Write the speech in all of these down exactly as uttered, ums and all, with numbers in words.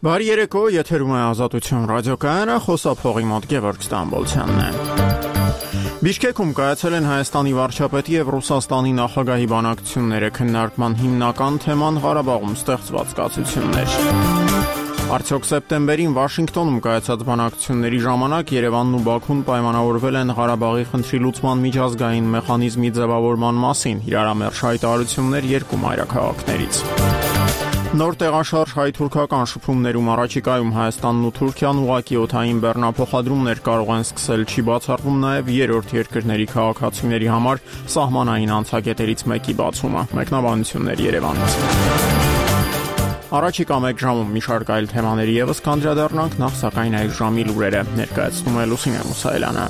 Բարի երեկո, եթերում է Ազատություն ռադիոկայանը, խոսափողի մոտ Գևորգ Ստամբոլցյանն է։ Բիշկեքում կայացել են Հայաստանի վարչապետի եւ Ռուսաստանի նախագահի բանակցությունները, քննարկման հիմնական թեման Ղարաբաղում ստեղծված կացություններ։ Արդյոք սեպտեմբերին Վաշինգտոնում կայացած բանակցությունների ժամանակ Երևանն ու Բաքուն պայմանավորվել են Ղարաբաղի խնդրի լուծման միջազգային մեխանիզմի ձևավորման մասին, իրարամերժ հայտարարություններ երկու մայրաքաղաքներից։ Նոր տեղաշարժ հայ-թուրքական շփումներում առաջիկայում Հայաստանն ու Թուրքիան ուղղակի օդային բեռնափոխադրումներ կարող են սկսել, չի բացառվում նաև երրորդ երկրների քաղաքացիների համար սահմանային անցակետերից մեկի բացումը։ Մեկնաբանություններ Երևանից։ Առաջիկա մեկ ժամում մի շարք այլ թեմաների ևս կանդրադառնանք, նախ սակայն այս ժամի լուրերը ներկայացնում է Լուսինե Մուսայելյանը։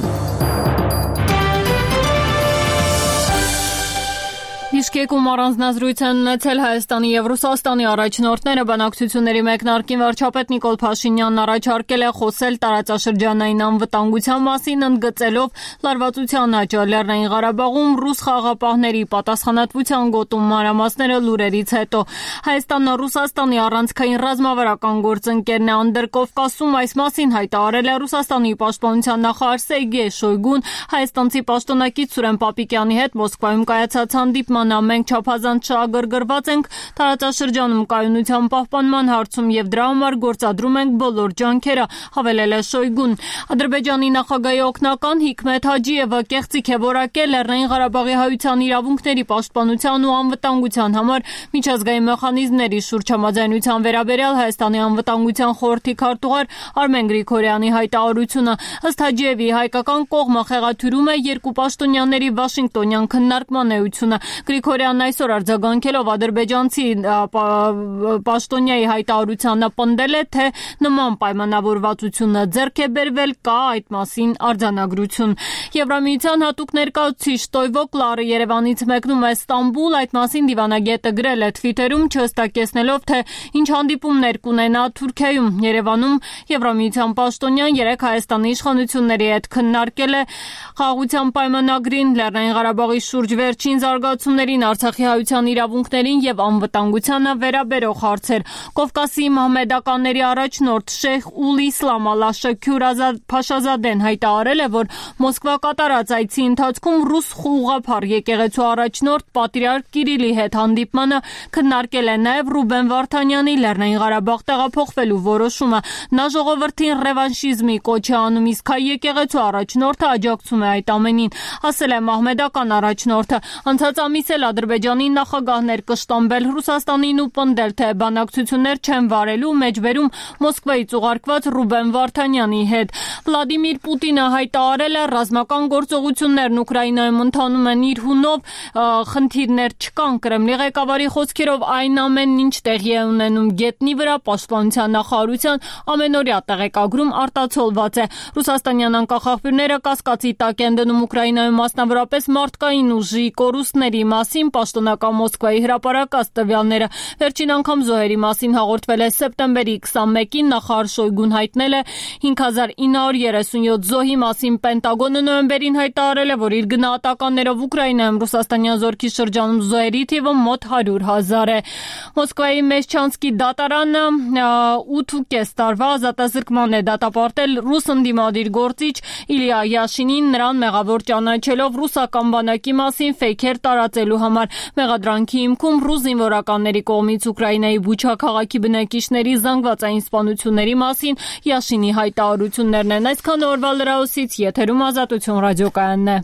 Բիշկեկում առանձնազրույց են ունեցել Հայաստանի եւ Ռուսաստանի առաջնորդները, բանակցությունների մեկնարկին վարչապետ Նիկոլ Փաշինյանն առաջարկել է խոսել տարածաշրջանային անվտանգության մասին, ընդգծելով լարվածության աճը Լեռնային Ղարաբաղում ռուս խաղաղապահների պատասխանատվության գոտում մանրամասները լուրերից հետո։ Հայաստանն Ռուսաստանի առանցքային ռազմավարական գործընկերն է Անդրկովկասում, այս մասին հայտարարել է Ռուսաստանի պաշտպանության նախարար Սերգեյ Շոյգուն հայաստանցի պաշտոնակից Սուրեն Պապիկյանի հետ Մոսկվայում կայացած հանդիպման Մենք չափազանց շահագրգռված ենք տարածաշրջանում կայունության պահպանման հարցում եւ դրա համար գործադրում ենք բոլոր ջանքերը, հավելել է Շոյգուն։ Ադրբեջանի նախագահի օգնական Հիկմետ Հաջիևը կեղծիք է որակել Լեռնային Ղարաբաղի հայության իրավունքների պաշտպանության ու անվտանգության համար միջազգային մեխանիզմների շուրջ համաձայնության վերաբերյալ Հայաստանի անվտանգության խորհրդի քարտուղար Արմեն Գրիգորյանի հայտարարությունը։ Ըստ Հաջիևի հայկական կողմը խեղաթյուրում է երկու պաշտոնյաների Վաշինգտոնյան քննարկման էությունը։ Գրիգորյանն այսօր արձագանքելով ադրբեջանցի պաշտոնյայի հայտարարությանը պնդել է, թե նման պայմանավորվածությունը ձեռք է բերվել, կա այդ մասին արձանագրություն։ Եվրամիության հատուկ ներկայացուցիչ Տոյվո Կլարը Երևանից մեկնում է Ստամբուլ, այդ մասին դիվանագետը գրել է Թվիտերում, չհստակեցնելով, թե ինչ հանդիպումներ կունենա Թուրքիայում։ Երևանում Եվրամիության պաշտոնյան երեք Հայաստանի իշխանությունների հետ քննարկել է խաղաղության պայմանագրին, Լեռնային Ղարաբաղի շուրջ վերջին զարգացումներին, Արցախի հայության իրավունքներին եւ անվտանգությանը վերաբերող հարցեր։ Կովկասի մահմեդականների առաջնորդ Շեյխ Ուլ Իսլամ Ալաշաքյուր Փաշազադեն հայտարարել է, որ Մոսկվա կատարած այցի ընթացքում ռուս ուղղափառ եկեղեցու առաջնորդ պատրիարք Կիրիլի հետ հանդիպմանը քննարկել է նաեւ Ռուբեն Վարդանյանի Լեռնային Ղարաբաղ տեղափոխվելու որոշումը։ Նա ժողովրդին ռևանշիզմի կոչ է անում, իսկ հայ եկեղեցու առաջնորդը աջակցում է այդ ամենին, ասել է մահմեդական առաջնորդը։ Անցած ամիս էլ Ադրբեջանի նախագահներ կշտամբել Ռուսաստանին ու պնդել, թե բանակցություններ չեն վարելու մեջբերում Մոսկվայից ուղարկված Ռուբեն Վարդանյանի հետ։ Վլադիմիր Պուտինը հայտարարել է, ռազմական գործողություններն Ուկրաինայում ընթանում են իր հունով, խնդիրներ չկան։ Կրեմլի ղեկավարի խոսքերով այն ամենն ինչ տեղի է ունենում գետնի վրա պաշտպանության նախարարության ամենօրյա տեղեկագրում արտացոլված է։ Ռուսաստանյան անկախախմբիրները կասկածի տակ են դնում Ուկրաինայում մասնավորապես մարդկային ուժի կորուստների մասին պաշտոնական Մոսկվայի հրապարակած տվյալները։ Վերջին անգամ զոհերի մասին հաղորդվել է սեպտեմբերի քսանմեկին, նախարար Շոյգուն հայտնել է հինգ հազար ինը հարյուր երեսունյոթ զոհի մասին։ Պենտագոնը նոյեմբերին հայտարարել է, որ իր գնահատականներով Ուկրաինայում ռուսաստանյան զորքի շրջանում զոհերի թիվը մոտ հարյուր հազար է։ Մոսկվայի Մեշչանսկի դատարանը ութ ու կես տարվա ազատազրկման է դատապարտել ռուս ընդդիմադիր գործիչ Իլիա Յաշինին, նրան մեղավոր ճանաչելով ռուսական բանակի մասին ֆեյքեր տարածելու համար։ Մեղադրանքի հիմքում ռուս զինվորականների կողմից Ուկրաինայի Բուչա քաղաքի բնակիչների զանգվածային սպանությունների մասին Յաշինի հայտարարություններն են։ Այսքան օրվա լրահոսից եթերում Ազատություն ռադիոկայանն է։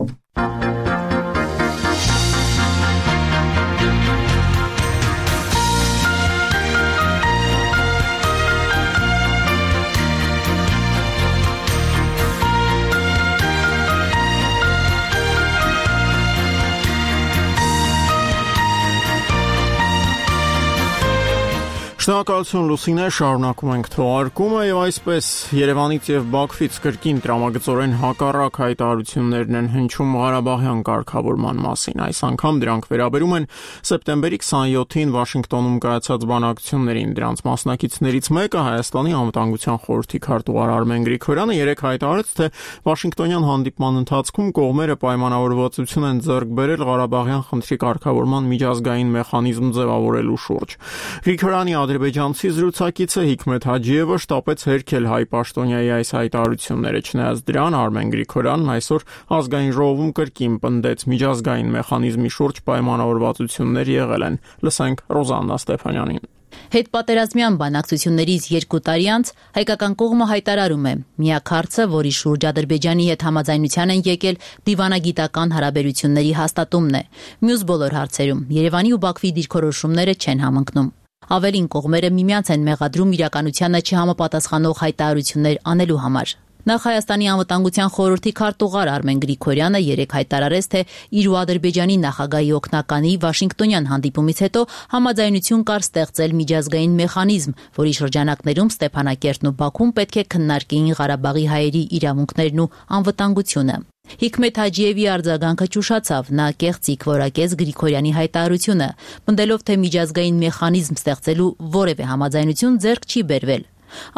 Շնորհակալություն Լուսինե, շարունակում ենք թողարկումը եւ այսպես Երևանից եւ Բաքվից կրկին տրամագծորեն հակառակ հայտարարություններն են հնչում Ղարաբաղյան կարգավորման մասին։ Այս անգամ դրանք վերաբերում են սեպտեմբերի քսանյոթին Վաշինգտոնում կայացած բանակցություններին։ Դրանց մասնակիցներից մեկը Հայաստանի անվտանգության խորհրդի քարտուղար Արմեն Գրիգորյանը երեկ հայտարարեց, թե Վաշինգտոնյան հանդիպման ընթացքում կողմերը պայմանավորվածություն են ձեռք բերել Ղարաբաղյան խնդրի կարգավորման միջազգային մեխանիզմ ձևավորելու շուրջ։ Գրիգորյանի ադրբեջանցի զրուցակիցը Հիկմեթ Հաջիևը շտապեց հերքել հայ պաշտոնյայի այս հայտարարությունները, չնայած դրան Արմեն Գրիգորյանն այսօր ազգային ժողովում կրկին պնդեց միջազգային մեխանիզմի շուրջ պայմանավորվածություններ եղել են։ Լսենք Ռոզաննա Ստեփանյանին։ Հետպատերազմյան բանակցություններից երկու տարի անց հայկական կողմը հայտարարում է՝ միակ հարցը, որի շուրջ Ադրբեջանի հետ համաձայնության են եկել, դիվանագիտական հարաբերությունների հաստատումն է։ Մյուս բոլոր հարցերում Երևանի ու Բաքվի դիրքորոշումները չեն համընկնում։ Ավելին, կողմերը միմյանց են մեղադրում իրականությանը չհամապատասխանող հայտարարություններ անելու համար։ Նախ Հայաստանի անվտանգության խորհրդի քարտուղար Արմեն Գրիգորյանը երեկ հայտարարեց, թե իր ու Ադրբեջանի նախագահի օգնականի Վաշինգտոնյան հանդիպումից հետո համաձայնություն կար ստեղծել միջազգային մեխանիզմ, որի շրջանակներում Ստեփանակերտն ու Բաքուն պետք է քննարկեին Ղարաբաղի հայերի իրավունքներն ու անվտանգությունը։ Հիկմեթ Հաջիևի արձագանքը ճուշացավ, նա կեղծիք որակեց Գրիգորյանի հայտարարությունը, պնդելով, թե միջազգային մեխանիզմ ստեղծելու որևէ համաձայնություն ձեռք չի բերվել։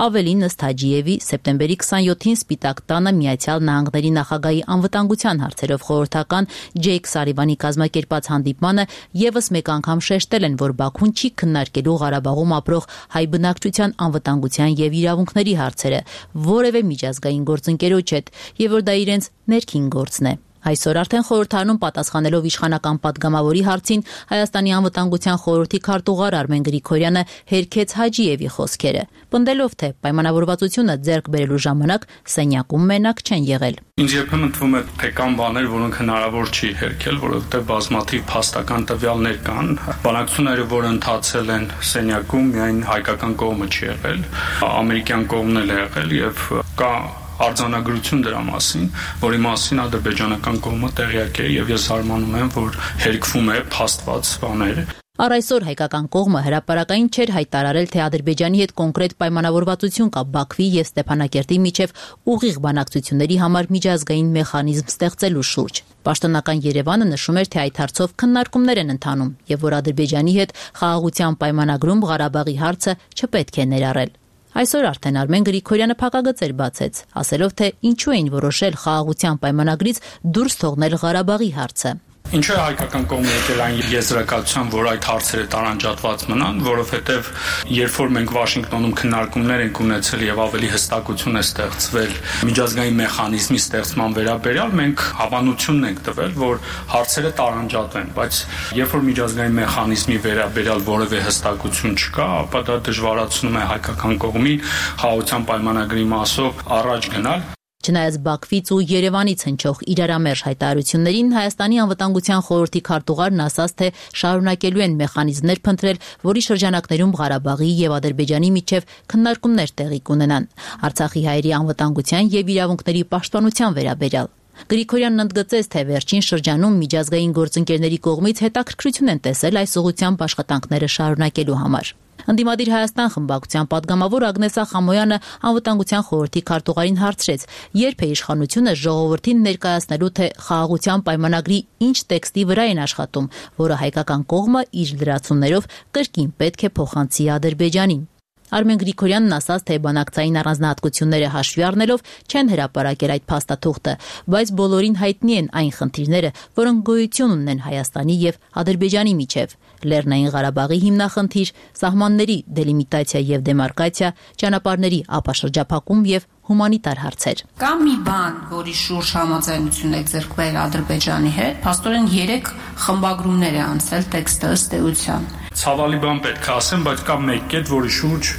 Ավելին, ըստ Հաջիևի, սեպտեմբերի քսանյոթին Սպիտակ տանը Միացյալ Նահանգների նախագահի անվտանգության հարցերով խորհրդական Ջեյք Սարիվանի կազմակերպած հանդիպմանը եւս մեկ անգամ շեշտել են, որ Բաքուն չի քննարկելու Ղարաբաղում ապրող հայ բնակչության անվտանգության եւ իրավունքների հարցերը որևէ միջազգային գործընկերոջ հետ, եւ որ դա իրենց ներքին գործն է։ Այսօր արդեն խորհրդարանում պատասխանելով իշխանական պատգամավորի հարցին Հայաստանի անվտանգության խորհրդի քարտուղար Արմեն Գրիգորյանը հերքեց Հաջիևի խոսքերը, պնդելով, թե պայմանավորվածությունը ձեռք բերելու ժամանակ սենյակում մենակ չեն եղել։ Ինձ երբեմն թվում է, թե կան բաներ, որոնք հնարավոր չի հերքել, որովհետև բազմաթիվ փաստական տվյալներ կան։ Բանակցությունները, որը ընթացել են սենյակում, միայն հայկական կողմը չի եղել, ամերիկյան կողմն էլ է եղել եւ կա արձանագրություն դրա մասին, որի մասին ադրբեջանական կողմը տեղյակ է եւ ես հարմանում եմ, որ հերքվում է փաստված բաներ։ Առ այսօր հայկական կողմը հրապարակային չէր հայտարարել, թե Ադրբեջանի հետ կոնկրետ պայմանավորվածություն կա Բաքվի եւ Ստեփանակերտի միջև ուղիղ բանակցությունների համար միջազգային մեխանիզմ ստեղծելու շուրջ։ Պաշտոնական Երևանը նշում էր, թե այդ հարցով քննարկումներ են ընթանում եւ որ Ադրբեջանի հետ խաղաղության պայմանագրում Ղարաբաղի հարցը չպետք է ներառել։ Այսօր արդեն Արմեն Գրիգորյանը փակագծեր բացեց, ասելով, թե ինչու էին որոշել խաղաղության պայմանագրից դուրս թողնել Ղարաբաղի հարցը։ Ինչու է հայկական կողմը եկել այն եզրակացության, որ այդ հարցերը տարանջատված մնան, որովհետև երբ որ մենք Վաշինգտոնում քննարկումներ ենք ունեցել եւ ավելի հստակություն է ստեղծվել միջազգային մեխանիզմի ստեղծման վերաբերյալ, մենք հավանությունն ենք տվել, որ հարցերը տարանջատվեն, բայց երբ որ միջազգային մեխանիզմի վերաբերյալ որևէ հստակություն չկա, ապա դա դժվարացնում է հայկական կողմին խաղաղության պայմանագրի մասով առաջ գնալ։ Չնայած Բաքվից ու Երևանից հնչող իրարամերժ հայտարարություններին Հայաստանի անվտանգության խորհրդի քարտուղարն ասաց, թե շարունակելու են մեխանիզմներ փնտրել, որի շրջանակներում Ղարաբաղի եւ Ադրբեջանի միջև քննարկումներ տեղի կունենան Արցախի հայերի անվտանգության եւ իրավունքների պաշտպանության վերաբերյալ։ Գրիգորյանն ընդգծեց, թե վերջին շրջանում միջազգային գործընկերների կողմից հետաքրքրություն են տեսել այս ուղղությամբ աշխատանքները շարունակելու համար։ Ընդդիմադիր Հայաստան խմբակցության պատգամավոր Ագնեսա Խամոյանը անվտանգության խորհրդի քարտուղարին հարցրեց, երբ է իշխանությունը ժողովրդին ներկայացնելու, թե խաղաղության պայմանագրի ինչ տեքստի վրա են աշխատում, որը հայկական կողմը իր լրացումներով կրկին պետք է փոխանցի Ադրբեջանին։ Արմեն Գրիգորյանն ասաց, թե բանակցային առանձնահատկությունները հաշվի առնելով չեն հրապարակել այդ փաստաթուղթը, բայց բոլորին հայտնի են այն խնդիրները, որոնք գոյություն ունեն Հայաստանի եւ Ադրբեջանի միջև՝ Լեռնային Ղարաբաղի հիմնախնդիր, սահմանների դելիմիտացիա եւ դեմարկացիա, ճանապարհների ապաշրջափակում եւ հումանիտար հարցեր։ Կա մի բան, որի շուրջ համաձայնություն է ձեռք բերել Ադրբեջանի հետ, փաստորեն երեք խմբագրումներ է անցել տեքստը ըստ էության։ Ցավալի բան պետք է ասեմ, բայց կա մեկ կետ, որի շուրջ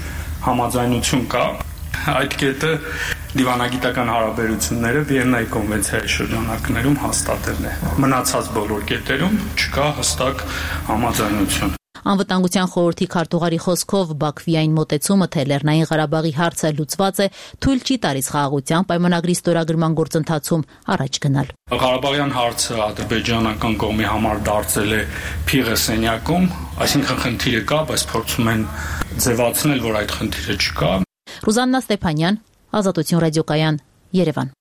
համաձայնություն կա։ Այդ կետը դիվանագիտական հարաբերությունները Վիեննայի կոնվենցիայի շրջանակներում հաստատելն է։ Մնացած բոլոր կետերում չկա հստակ համաձայնություն։ Անվտանգության խորհրդի քարտուղարի խոսքով Բաքվի այն մոտեցումը, թե Լեռնային Ղարաբաղի հարցը լուծված է, թույլ չի տալիս խաղաղության պայմանագրի ստորագրման գործընթացում առաջ գնալ։ Ղարաբաղյան հարցը ադրբեջանական կողմի համար դարձել է փիղը սենյակում, այսինքն խնդիրը կա, բայց փորձում են ձևացնել, որ այդ խնդիրը չկա։ Ռոզաննա Ստեփանյան, Ազատություն ռադիոկայան, Երևան։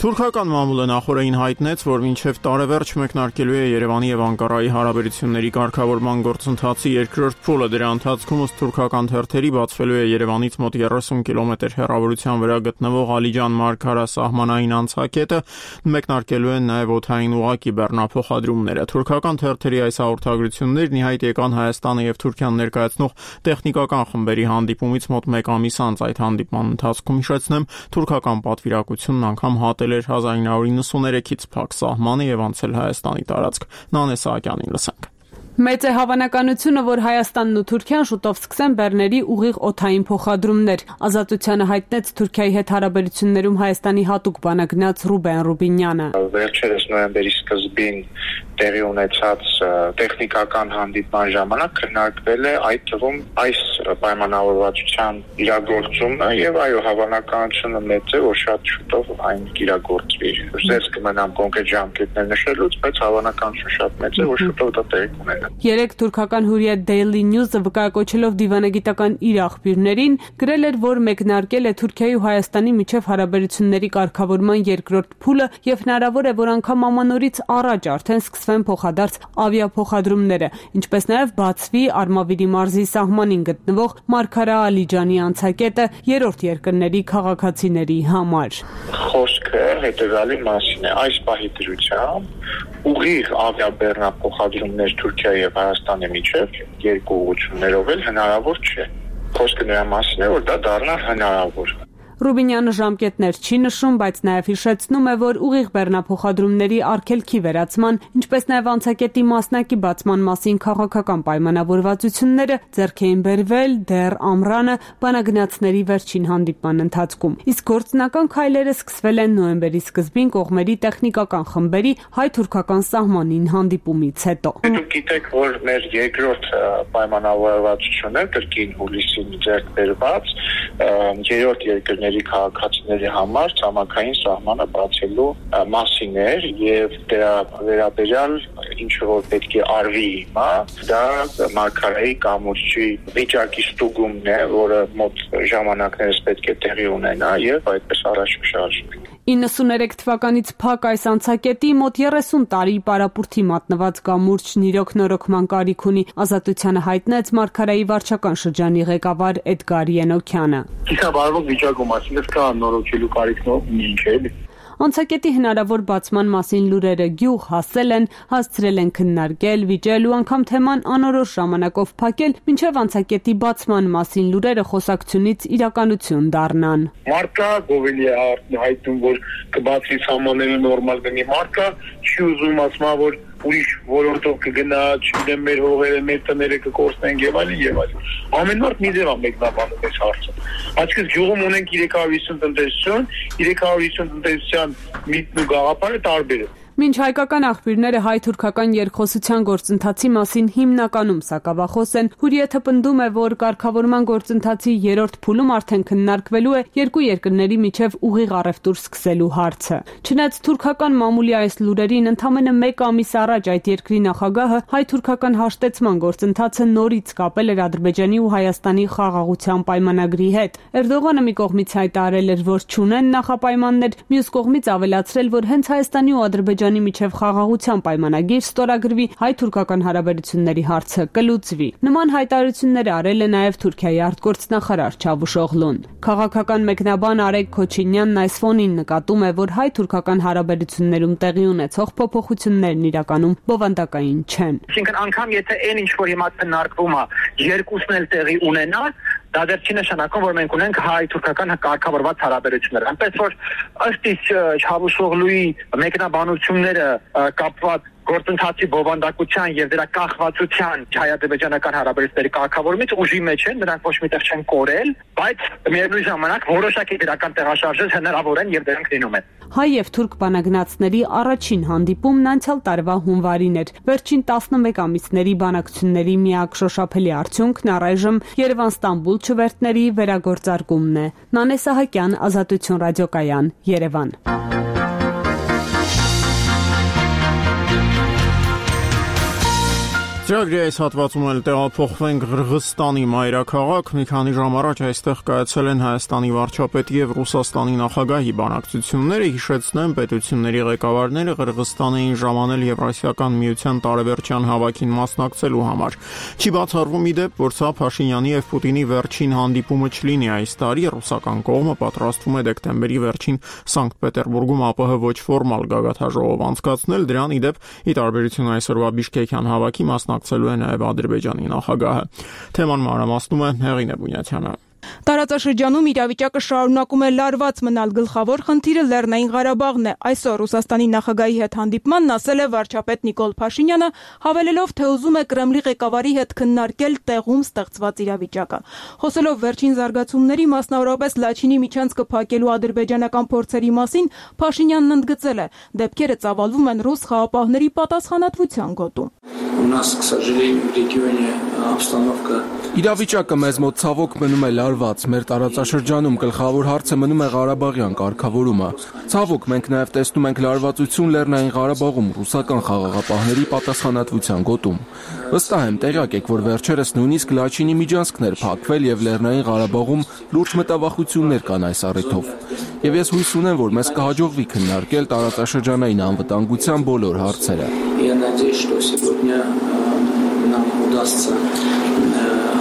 Թուրքական մամուլը նախորդին հայտնեց, որ մինչև տարեվերջ մեկնարկելու է Երևանի եւ Անկարայի հարաբերությունների կարգավորման գործընթացի երկրորդ փուլը։ Դրա ընթացքում ըստ թուրքական թերթերի բացվելու է Երևանից մոտ երեսուն կիլոմետր հեռավորության վրա գտնվող Ալիջան-Մարգարա սահմանային անցակետը, մեկնարկելու են նաեւ օդային ուղղակի բեռնափոխադրումները։ Թուրքական թերթերի այս հաղորդագրություններն ի հայտ եկան Հայաստանը եւ Թուրքիան ներկայացնող տեխնիկական խմբերի հանդիպումից մոտ մեկ ամիս անց։ Այդ հանդիպման ընթացքում, հիշեցնեմ, թուրքական պատվիրակությունն անգամ հատել էր հազար ինը հարյուր նվաթերեքից փակ սահմանը եւ անցել Հայաստանի տարածք։ Նանե Սահակյանին լսենք։ Մեծ է հավանականությունը, որ Հայաստանն ու Թուրքիան շուտով սկսեն բեռների ուղիղ օդային փոխադրումներ։ Ազատությանը հայտնեց Թուրքիայի հետ հարաբերություններում Հայաստանի հատուկ բանագնաց Ռուբեն Ռուբինյանը։ Վերջերս նոյեմբերի սկզբին տեղի ունեցած տեխնիկական հանդիպման ժամանակ քննարկվել է այդ թվում այս պայմանավորվածության իրագործումը եւ այո հավանականությունը մեծ է, որ շատ շուտով այն կիրագործվի։ Զերծ կմնամ կոնկրետ ժամկետներ նշելուց, բայց հավանականությունը շատ մեծ է, որ շուտով դա տեղի կունենա։ Երեք թուրքական հուրիետ Daily News-ը վկայակոչելով դիվանագիտական իր աղբյուրներին գրել էր, որ մեկնարկել է Թուրքիայի ու Հայաստանի միջև հարաբերությունների կարգավորման երկրորդ փուլը եւ հնարավոր է, որ անգամ ամանորից առաջ արդեն սկսվեն փոխադարձ ավիափոխադրումները, ինչպես նաեւ բացվի Արմավիրի մարզի սահմանին գտնվող Մարգարա-Ալիջանի անցակետը երրորդ երկրների քաղաքացիների համար։ Խոսքը հետեւյալի մասին է. այս պահի դրությամբ ուղիղ ավիաբեռնափոխադրումներ Թուրքիայի եւ Հայաստանի միջև երկու ուղղություններով էլ հնարավոր չէ։ Խոսքը նրա մասին է, որ դա դառնա հնարավոր։ Ռուբինյանը ժամկետներ չի նշում, բայց նաև հիշեցնում է, որ ուղիղ բեռնափոխադրումների արգելքի վերացման, ինչպես նաև անցակետի մասնակի բացման մասին քաղաքական պայմանավորվածությունները ձեռք էին բերվել դեռ ամռանը բանագնացների վերջին հանդիպման ընթացքում։ Իսկ գործնական քայլերը սկսվել են նոյեմբերի սկզբին կողմերի տեխնիկական խմբերի հայ-թուրքական սահմանին հանդիպումից հետո։ Դուք գիտեք, որ մեր երկրորդ պայմանավորվածությունը կրկին հուլիսին ձեռք բերված երրորդ երկրների քաղաքացիների համար ցամաքային սահմանը բացելու մասին էր եւ դրա վերաբերյալ ինչ որ պետք է արվի հիմա, դա Մարգարայի կամուրջի վիճակի ստուգումն է, որը մոտ ժամանակներս պետք է տեղի ունենա եւ այդպես առաջ կշարժվի։ իննսուններեք թվականից փակ այս անցակետի մոտ երեսուն տարի պարապուրդի մատնված կամուրջն իրոք նորոգման կարիք ունի, Ազատությանը հայտնեց Մարգարայի վարչական շրջանի ղեկավար Էդգար Ենոքյանը։ Իսկ վիճակում ասես կա նորոգելու կարիքն ունի ինչ է։ Անցակետի հնարավոր բացման մասին լուրերը գյուղ հասել են, հասցրել են քննարկել, վիճել ու անգամ թեման անորոշ ժամանակով փակել, մինչև անցակետի բացման մասին լուրերը խոսակցությունից իրականություն դառնան։ Մարկա գովելի է հայտնում, որ կբացվի սահմանները նորմալ գնի, մարկա չի ուզում ասма, որ ուրիշ ոլորտով կգնա, չգիտեմ, մեր հողերը, մեր տները կկորցնեն եւ այլն եւ այլն։ Ամեն մարդ մի ձև է մեկնաբանում այս հարցը։ Այսինքն գյուղում ունենք երեք հարյուր հիսուն տնտեսություն, երեք հարյուր հիսուն տնտեսության միտն ու գաղափարը տարբեր է։ Մինչ հայկական աղբյուրները հայ-թուրքական երկխոսության գործընթացի մասին հիմնականում սակավախոս են, Հուրիեթը պնդում է, որ կարգավորման գործընթացի երրորդ փուլում արդեն քննարկվելու է երկու երկրների միջև ուղիղ առևտուր սկսելու հարցը։ Չնայած թուրքական մամուլի այս լուրերին ընդամենը մեկ ամիս առաջ այդ երկրի նախագահը հայ-թուրքական հաշտեցման գործընթացը նորից կապել էր Ադրբեջանի ու Հայաստանի խաղաղության պայմանագրի հետ։ Էրդողանը մի կողմից հայտարարել էր, որ չունեն նախապայմաններ, մյուս կողմից ավելացրել, որ հենց Հայաստանի ու Ադրբեջանի միջև խաղաղության պայմանագիր ստորագրվի, հայ-թուրքական հարաբերությունների հարցը կլուծվի։ Նման հայտարարություններ արել է նաև Թուրքիայի արտգործնախարար Չավուշօղլուն։ Քաղաքական մեկնաբան Արեգ Քոչինյանն այս ֆոնին նկատում է, որ հայ-թուրքական հարաբերություններում տեղի ունեցող փոփոխություններն իրականում բովանդակային չեն։ Այսինքն անգամ եթե այն ինչ որ հիմա քննարկվում է, երկուսն էլ տեղի ունենա, դա դեռ չի նշանակում, որ մենք ունենք հայ-թուրքական կարգավորված հարաբերություններ։ Այնպես որ ըստ իս Չավուշօղլուի մեկնաբանությունները կապված գործընթացի բովանդակության եւ դրա կախվածության հայ-ադրբեջանական հարաբերությունների կարգավորումից ուժի մեջ են, նրանք ոչ միտեղ չեն կորել, բայց միևնույն ժամանակ որոշակի դրական տեղաշարժեր հնարավոր են եւ դրանք լինում են։ Հայ եւ թուրք բանագնացների առաջին հանդիպումն անցյալ տարվա հունվարին էր։ Վերջին տասնմեկ ամիսների բանակցությունների միակ շոշափելի արդյունքն առայժմ Երևան-Ստամբուլ չվերթների վերագործարկումն է։ Նանե Սահակյան, Ազատություն ռադիոկայան, Երևան։ Ծրագրի այս հատվածում էլ տեղափոխվենք Ղրղստանի մայրաքաղաք։ Մի քանի ժամ առաջ այստեղ կայացել են Հայաստանի վարչապետի եւ Ռուսաստանի նախագահի բանակցությունները։ Հիշեցնեմ, պետությունների ղեկավարները Ղրղստան էին ժամանել Եվրասիական միության տարեվերջյան հավաքին մասնակցելու համար։ Չի բացառվում ի դեպ, որ սա Փաշինյանի եւ Պուտինի վերջին հանդիպումը չլինի այս տարի։ Ռուսական կողմը պատրաստվում է դեկտեմբերի վերջին Սանկտ Պետերբուրգում ԱՊՀ ոչ ֆորմալ գագաթաժողով անցկացնել։ Դրան ի դեպ, ի տարբերություն այսօրվա Բիշկեկյան հավաքի մասնակցելու է նաև Ադրբեջանի նախագահը։ Թեման մանրամասնում է Հեղինե Բունյաթյանը։ Տարածաշրջանում իրավիճակը շարունակում է լարված մնալ, գլխավոր խնդիրը Լեռնային Ղարաբաղն է։ Այսօր Ռուսաստանի նախագահի հետ հանդիպմանն ասել է վարչապետ Նիկոլ Փաշինյանը, հավելելով, թե ուզում է Կրեմլի ղեկավարի հետ քննարկել տեղում ստեղծված իրավիճակը։ Խոսելով վերջին զարգացումների, մասնավորապես Լաչինի միջանցքը փակելու ադրբեջանական փորձերի մասին, Փաշինյանն ընդգծել է, դեպքերը ծավալվում են ռուս խաղապահների պատասխանատվության գոտում։ Իրավիճակը մեզ մոտ ցավոք մնում է լարված, մեր տարածաշրջանում գլխավոր հարցը մնում է Ղարաբաղյան կարգավորումը։ Ցավոք մենք նաև տեսնում ենք լարվածություն Լեռնային Ղարաբաղում ռուսական խաղաղապահների պատասխանատվության գոտում։ Վստահ եմ, տեղյակ եք, որ վերջերս նույնիսկ Լաչինի միջանցքներ փակվել եւ Լեռնային Ղարաբաղում լուրջ մտավախություններ կան այս առիթով։ Եվ ես հույս ունեմ, որ մեզ կհաջողվի քննարկել տարածաշրջանային անվտանգության բոլոր հարցերը։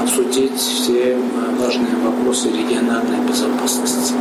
обсудить все важные вопросы региональной безопасности.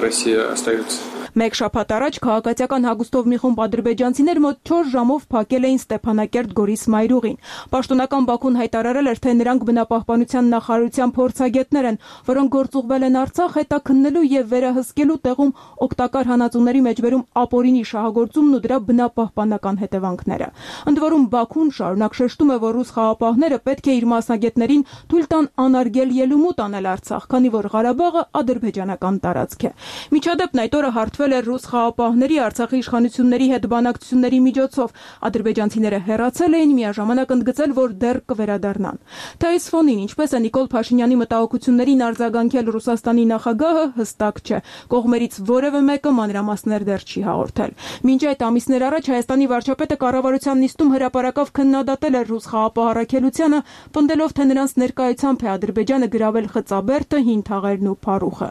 Россия остается. Մեկ շաբաթ առաջ քաղաքացիական հագուստով մի խումբ ադրբեջանցիներ մոտ չորս ժամով փակել էին Ստեփանակերտ Գորիս մայրուղին։ Պաշտոնական Բաքուն հայտարարել էր, թե նրանք բնապահպանության նախարարության փորձագետներ են, որոնք գործուղվել են Արցախ հետաքննելու եւ վերահսկելու տեղում օգտակար հանածուների մեջբերում ապօրինի շահագործումն ու դրա բնապահպանական հետևանքները։ Ընդ որում Բաքուն շարունակ շեշտում է, որ ռուս խաղապահները պետք է իր մասնագետներին թույլ տան անարգել ելումուտ անել Արցախ, քանի որ Ղարաբաղը ադրբեջանական տարածք է։ Միջադեպն այդ օրը հարթվել էր ռուս խաղապահների Արցախի իշխանությունների հետ բանակցությունների միջոցով։ Ադրբեջանցիները հեռացել էին, միաժամանակ ընդգծել, որ դեռ կվերադառնան։ Թե այս ֆոնին ինչպես է Նիկոլ Փաշինյանի մտահոգություններին արձագանքել Ռուսաստանի նախագահը, հստակ չէ։ Կողմերից որևէ մեկը մանրամասներ դեռ չի հաղորդել։ Մինչ այդ ամիսներ առաջ Հայաստանի վարչապետը կառավարության նիստում հրապարակավ քննադատել էր ռուս խաղապահ առաքելությանը, պնդելով, թե նրանց ներկայությամբ է Ադրբեջանը գրավել Խծաբերդը, Հին Թաղերն ու Փարուխը։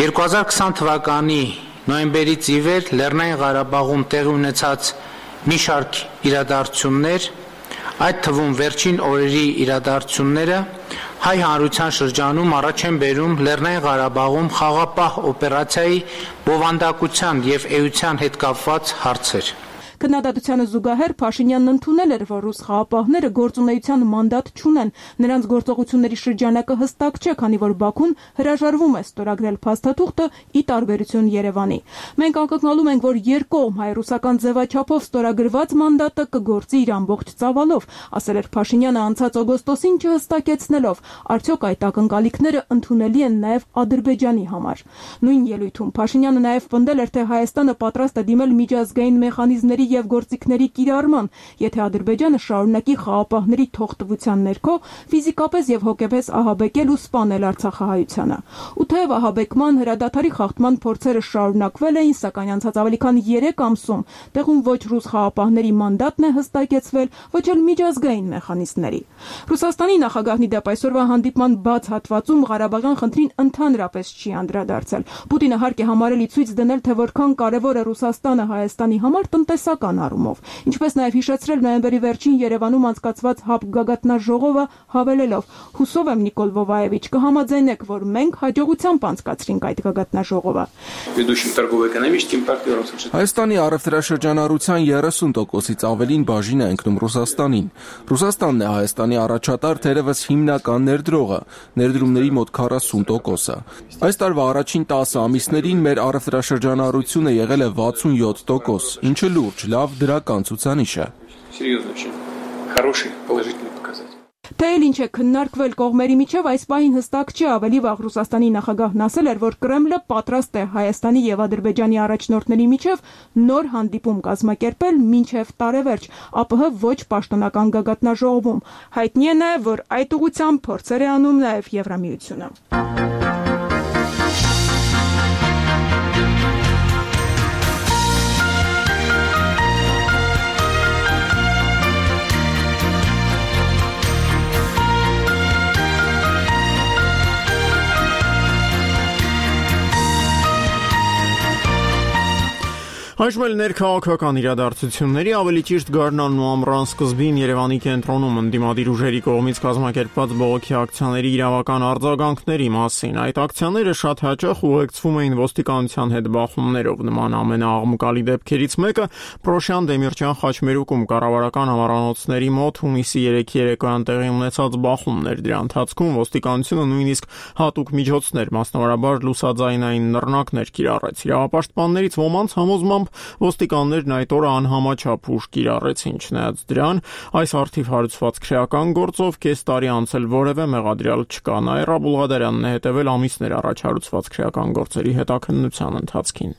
երկու հազար քսան թվականի նոյեմբերից ի վեր Լեռնային Ղարաբաղում տեղի ունեցած մի շարք իրադարձություններ, այդ թվում վերջին օրերի իրադարձությունները հայ հանրության շրջանում առաջ են բերում Լեռնային Ղարաբաղում խաղապահ օպերացիայի բովանդակության եւ էության հետ կապված հարցեր։ Քննադատությանը զուգահեռ Փաշինյանն ընդունել էր, որ ռուս խաղապահները գործունեության մանդատ չունեն, նրանց գործողությունների շրջանակը հստակ չէ, քանի որ Բաքուն հրաժարվում է ստորագրել փաստաթուղթը ի տարբերություն Երևանի։ Մենք ակնկալում ենք, որ երկկողմ հայ-ռուսական ձևաչափով ստորագրված մանդատը կգործի իր ամբողջ ծավալով, ասել էր Փաշինյանը անցած օգոստոսին չհստակեցնելով, արդյոք այդ ակնկալիքները ընդունելի են նաև Ադրբեջանի համար։ Նույն ելույթում Փաշինյանը նաև պնդել էր, թե Հայաստանը պատրաստ է դիմել միջազգային մեխանիզմների եւ գործիքների կիրառման, եթե Ադրբեջանը շարունակի խաղապահների թողտվության ներքո ֆիզիկապես եւ հոգեպես ահաբեկել ու սպանել արցախահայությանը։ Ու թեև ահաբեկման հրադադարի խախտման փորձերը շարունակվել էին, սակայն անցած ավելի քան երեք ամսում տեղում ոչ ռուս խաղապահների մանդատն է հստակեցվել, ոչ էլ միջազգային մեխանիզմների։ Ռուսաստանի նախագահն ի դեպ այսօրվա հանդիպման բաց հատվածում Ղարաբաղյան խնդրին ընդհանրապես չի անդրադարձել։ Պուտինը հարկ է համարել ցույց դնել, թե որքան կարևոր է Ռուսաստանը Հայաստանի համար տնտեսական առումով, ինչպես նաև հիշեցրել նոյեմբերի վերջին Երևանում անցկացված ՀԱՊԿ գագաթնաժողովը, հավելելով. «Հուսով եմ, Նիկոլ Վովայևիչ, կհամաձայնեք, որ մենք հաջողությամբ անցկացրինք այդ գագաթնաժողովը»։ Հայաստանի առևտրաշրջանառության երեսուն տոկոսից ավելին բաժին է ընկնում Ռուսաստանին։ Ռուսաստանն է Հայաստանի առաջատար, թերևս հիմնական ներդրողը, ներդրումների մոտ քառասուն տոկոսը։ Այս տարվա առաջին տասը ամիսներին մեր առևտրաշրջանառությունը եղել է վաթսունյոթ տոկոս, ինչը լուրջ, լավ դրական ցուցանիշ է։ Թե էլ ինչ է քննարկվել կողմերի միջև, այս պահին հստակ չէ, ավելի վաղ Ռուսաստանի նախագահն ասել էր, որ Կրեմլը պատրաստ է Հայաստանի եւ Ադրբեջանի առաջնորդների միջև նոր հանդիպում կազմակերպել մինչև տարեվերջ, ԱՊՀ ոչ պաշտոնական գագաթնաժողովում։ Հայտնի է նաեւ, որ այդ ուղղությամբ փորձեր է անում նաեւ Եվրամիությունը։ Այժմ էլ ներքաղաքական իրադարձությունների ավելի ճիշտ գարնանն ու ամռան սկզբին Երևանի կենտրոնում ընդդիմադիր ուժերի կողմից կազմակերպված բողոքի ակցիաների իրավական արձագանքների մասին։ Այդ ակցիաները շատ հաճախ ուղեկցվում էին ոստիկանության հետ բախումներով։ Նման ամենաաղմկալի դեպքերից մեկը Պրոշյան Դեմիրճյան խաչմերուկում կառավարական համառանոցների մոտ հունիսի երեքի երեկոյան տեղի ունեցած բախումն էր։ Դրա ընթացքում ոստիկանությունը նույնիսկ հատուկ միջոցներ, մասնավորաբար լուսաձայնային նռնակներ կիրառեց։ Իրավապաշտպաններից ոմանց համոզմամբ ոստիկաններն այդ օրը անհամաչափ ուժ կիրառեցին, չնայած դրան այս առթիվ հարուցված քրեական գործով կես տարի անցել որևէ մեղադրյալ չկա։ Նաիրա Բուլղադարյանն է հետևել ամիսներ առաջ հարուցված քրեական գործերի հետաքննության ընթացքին։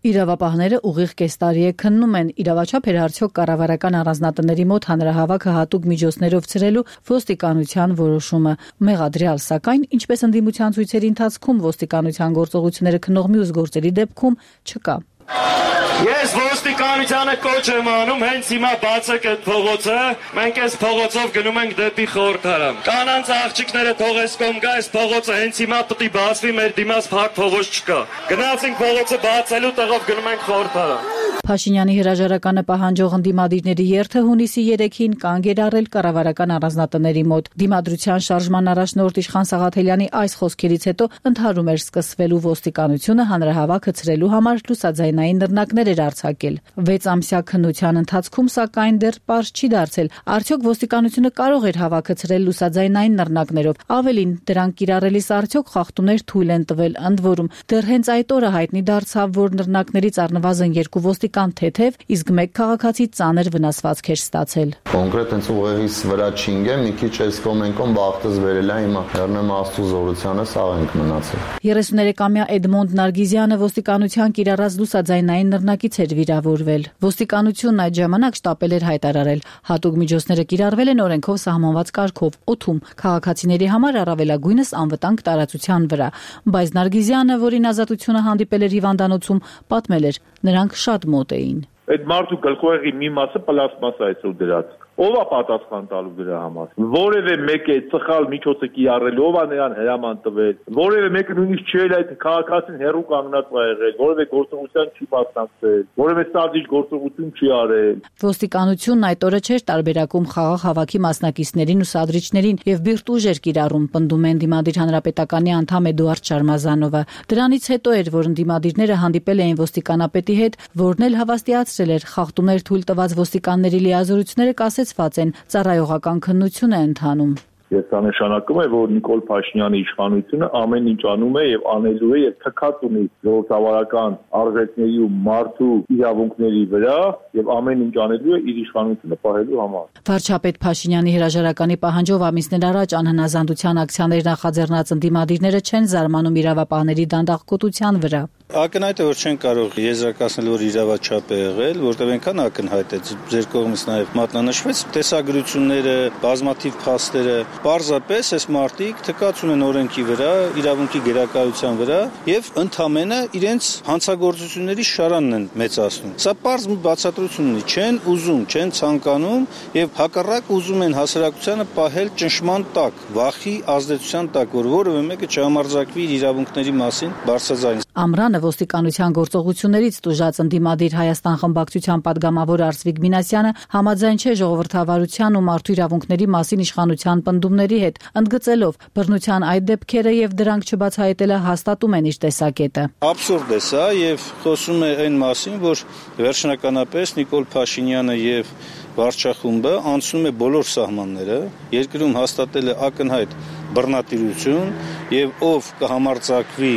Իրավապահները ուղիղ կես տարի է քննում են իրավաչափ էր արդյոք կառավարական առանձնատների մոտ հանրահավաքը հատուկ միջոցներով ցրելու ոստիկանության որոշումը։ Մեղադրյալ, սակայն, ինչպես ընդդիմության ցույցերի ընթացքում ոստիկանության գործողությունները քննող մյուս գործերի դեպքում չկա։ Ես ոստիկանությանը կոչ եմ անում, հենց հիմա բացեք այդ փողոցը, մենք այս փողոցով գնում ենք դեպի խորհրդարան։ Կանանց աղջիկները թողես կողմ գա, այս փողոցը հենց հիմա պետք է բացվի, մեր դիմաց փակ փողոց չկա։ Գնացինք փողոցը բացելու տեղով գնում ենք խորհրդարան։ Փաշինյանի հրաժարականը պահանջող ընդդիմադիրների երթը հունիսի երեքին կանգ էր առել կառավարական առանձնատների մոտ։ Դիմադրության շարժման առաջնորդ Իշխան Սաղաթելյանի այս խոսքերից հետո ընդհարում էր սկսվելու ոստիկանությունը հանրահավաքը ցրելու համար լուսաձայնային նռնակներ էր արձակել։ վեց ամսյա քննության ընթացքում սակայն դեռ պարզ չի դարձել, արդյոք ոստիկանությունը կարող էր հավաքը ցրել լուսաձայնային նռնակներով։ Ավելին, դրանք կիրառելիս արդյոք խախտումներ թույլ են տվել, ընդ որում դեռ հենց այդ օրը հայտնի դարձավ, որ նռնակներից առնվազն երկու ոստիկան թեթև, իսկ մեկ քաղաքացի ծանր վնասվածք էր ստացել։ Կոնկրետ հենց ուղեղից վրա չինգեմ, մի քիչ այս կոմենկոն բախտս վերել է հիմա։ Հեռնեմ Աստծո զորությանը սաղ ենք մնացել։ երեսուներեքամյա Էդմոնդ Նարգիզյանը ոստիկանության կիրառած լուսաձայնային նռնակից էր վիրավորվել։ Ոստիկանությունն այդ ժամանակ շտապել էր հայտարարել, հատուկ միջոցները կիրառվել են օրենքով սահմանված կարգով, օդում, քաղաքացիների համար առավելագույնս անվտանգ տարածության վրա։ Բայց Նարգիզյանը, որին ազատությունը հանդիպել էր հիվանդանոցում, պատմել էր, նրանք շատ մոտ էին։ Այդ մարդու գլխուեղի մի մասը պլաստմասա է ցույց դրած։ Ով է պատասխան տալու դրա համար։ Որևէ մեկը ծխալ միջոցը կիրառել, ով է նրան հրաման տվել։ Որևէ մեկը նույնիսկ չէր այդ քաղաքացին հերու կանգնած ա եղել, որևէ գործողության չի մասնակցել, որևէ սազիչ գործողություն չի արել։ Ոստիկանությունն այդ օրը չէր տարբերակում խաղաղ հավաքի մասնակիցներին ու սադրիչներին եւ բիրտ ուժ էր կիրառում, պնդում է Ընդդիմադիր հանրապետականի անդամ Էդուարդ Շարմազանովը։ Դրանից հետո էր, որ ընդդիմադիրները հանդիպել էին ոստիկանապետի հետ, որն էլ հավաստիացրել էր խախտումներ թույլ տված ոստիկանների լիազորությունները կասեցված են, ծառայողական քննություն է ընթանում։ Ես դա նշանակում է, որ Նիկոլ Փաշինյանի իշխանությունը ամեն ինչ անում է եւ անելու է եւ թքած ունի ժողովրդավարական արժեքների ու մարդու իրավունքների վրա եւ ամեն ինչ անելու է իր իշխանությունը պահելու համար։ Վարչապետ Փաշինյանի հրաժարականի պահանջով ամիսներ առաջ անհնազանդության ակցիաներ նախաձեռնած ընդդիմադիրները չեն զարմանում իրավապահների դանդաղկոտության վրա։ Ակնհայտ է, որ չեն կարող եզրակացնել, որ իրավաչափ է եղել, որտեղ այնքան ակնհայտ է, ձեր կողմից նաև մատնանշվեց տեսագրությունները, բազմաթիվ փաստերը, պարզապես այս մարդիկ թքած ունեն օրենքի վրա, իրավունքի գերակայության վրա եւ ընդամենը իրենց հանցագործությունների շարանն են մեծացնում։ Սա պարզ մի բացատրություն ունի, չեն ուզում, չեն ցանկանում եւ հակառակ ուզում են հասարակությանը պահել ճնշման տակ, վախի ազդեցության տակ, որ որևէ մեկը չհամարձակվի իր իրավունքների մասին բարձրաձայն։ Ամռանը ոստիկանության գործողություններից տուժած ընդդիմադիր Հայաստան խմբակցության падգամավոր Արսվիկ Մինասյանը համաձայն չէ ժողովրդավարության ու մարդու իրավունքների մասին իշխանության պնդումների հետ, ընդգծելով բռնության այդ դեպքերը եւ դրանք չբացահայտելը հաստատում են իր տեսակետը։ Աբսուրդ է սա եւ խոսում է այն մասին, որ վերջնականապես Նիկոլ Փաշինյանը եւ վարչախումբը անցնում է բոլոր սահմանները, երկրում հաստատել է ակնհայտ բռնատիրություն եւ ով կհամարձակվի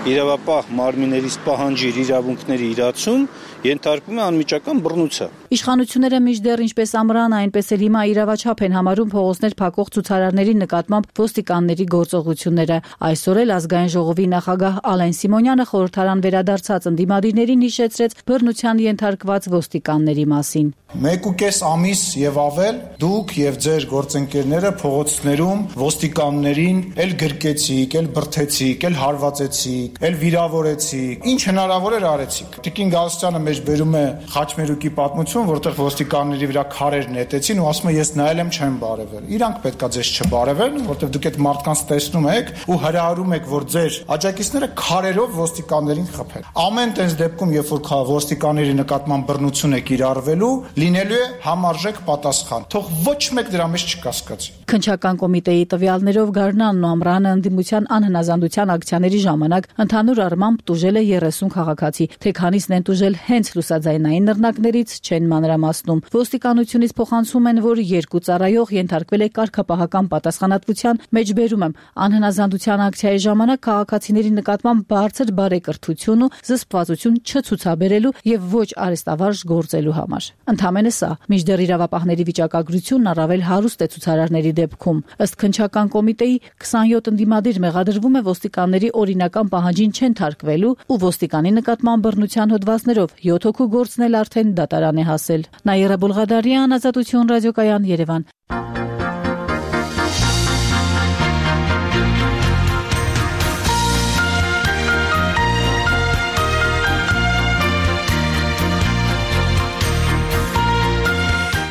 իրավապահ մարմիններից պահանջիր իրավունքների իրացում, ենթարկվում է անմիջական բռնության։ Իշխանությունները մինչդեռ ինչպես ամռանը, այնպես էլ հիմա իրավաչափ են համարում փողոցներ փակող ցուցարարների նկատմամբ ոստիկանների գործողությունները։ Այսօր էլ ազգային ժողովի նախագահ Ալեն Սիմոնյանը խորհրդարան վերադարձած ընդդիմադիրներին հիշեցրեց բռնության ենթարկված ոստիկանների մասին։ Մեկ ու կես ամիս եւ ավել դուք եւ ձեր գործընկերները փողոցներում ոստիկաններին էլ գրկեցիք, էլ բրթեցիք, էլ հարվածեցիք, էլ վիրավորեցիք, ինչ հնարավոր էր արեցիք։ Տիկին Գալստյանը մեջբերում է Խաչմերուկի պատմություն, որտեղ ոստիկանների վրա քարեր նետեցին ու ասում է ես նայել եմ չեմ բարևել։ Իրանք պետքա ձեզ չբարևեն, որտեղ դուք այդ մարդկանց տեսնում եք ու հրահարում եք, որ ձեր աջակիցները քարերով ոստիկաններին խփեն։ Ամեն տես դեպքում, երբ որ ոստիկանների նկատմամբ բռնություն է կիրառվելու, լինելու է համարժեք պատասխան։ Թող ոչ մեկ դրա մեջ չկասկածի։ Քննչական կոմիտեի տվյալներով Գառնանն ու Ամռանը ընդդիմության անհնազանդության ակցիաների ժամանակ ընդհանուր առմամբ տուժել է երեսուն քաղաքացի, թե քանիսն են տուժել հենց լուսաձայնային նռնակներից չեն մանրամասնում։ Ոստիկանությունից փոխանցում են, որ երկու ծառայող ենթարկվել է կարգապահական պատասխանատվության, մեջբերում եմ, անհնազանդության ակցիայի ժամանակ քաղաքացիների նկատմամբ բարձր բարեկրթություն ու զսպվածություն չցուցաբերելու եւ ոչ արհեստավարժ գործելու համար։ Ընդամենը սա, մինչդեռ իրավապահների վիճակագրությունն առավել հարուստ է ցուցարարների դեպքում։ Ըստ քննչական կոմիտեի քսանյոթ ընդդիմադիր մեղադրվում է ոստիկանների օրինական պահանջին չեն թարգվելու ու ոստիկանի նկատմամբ բռնության հոդվածներով յոթ հոգու գործն էլ արդեն դատարան է հասել։ Նաիրա Բուլղադարյան, Ազատություն ռադիոկայան, Երևան։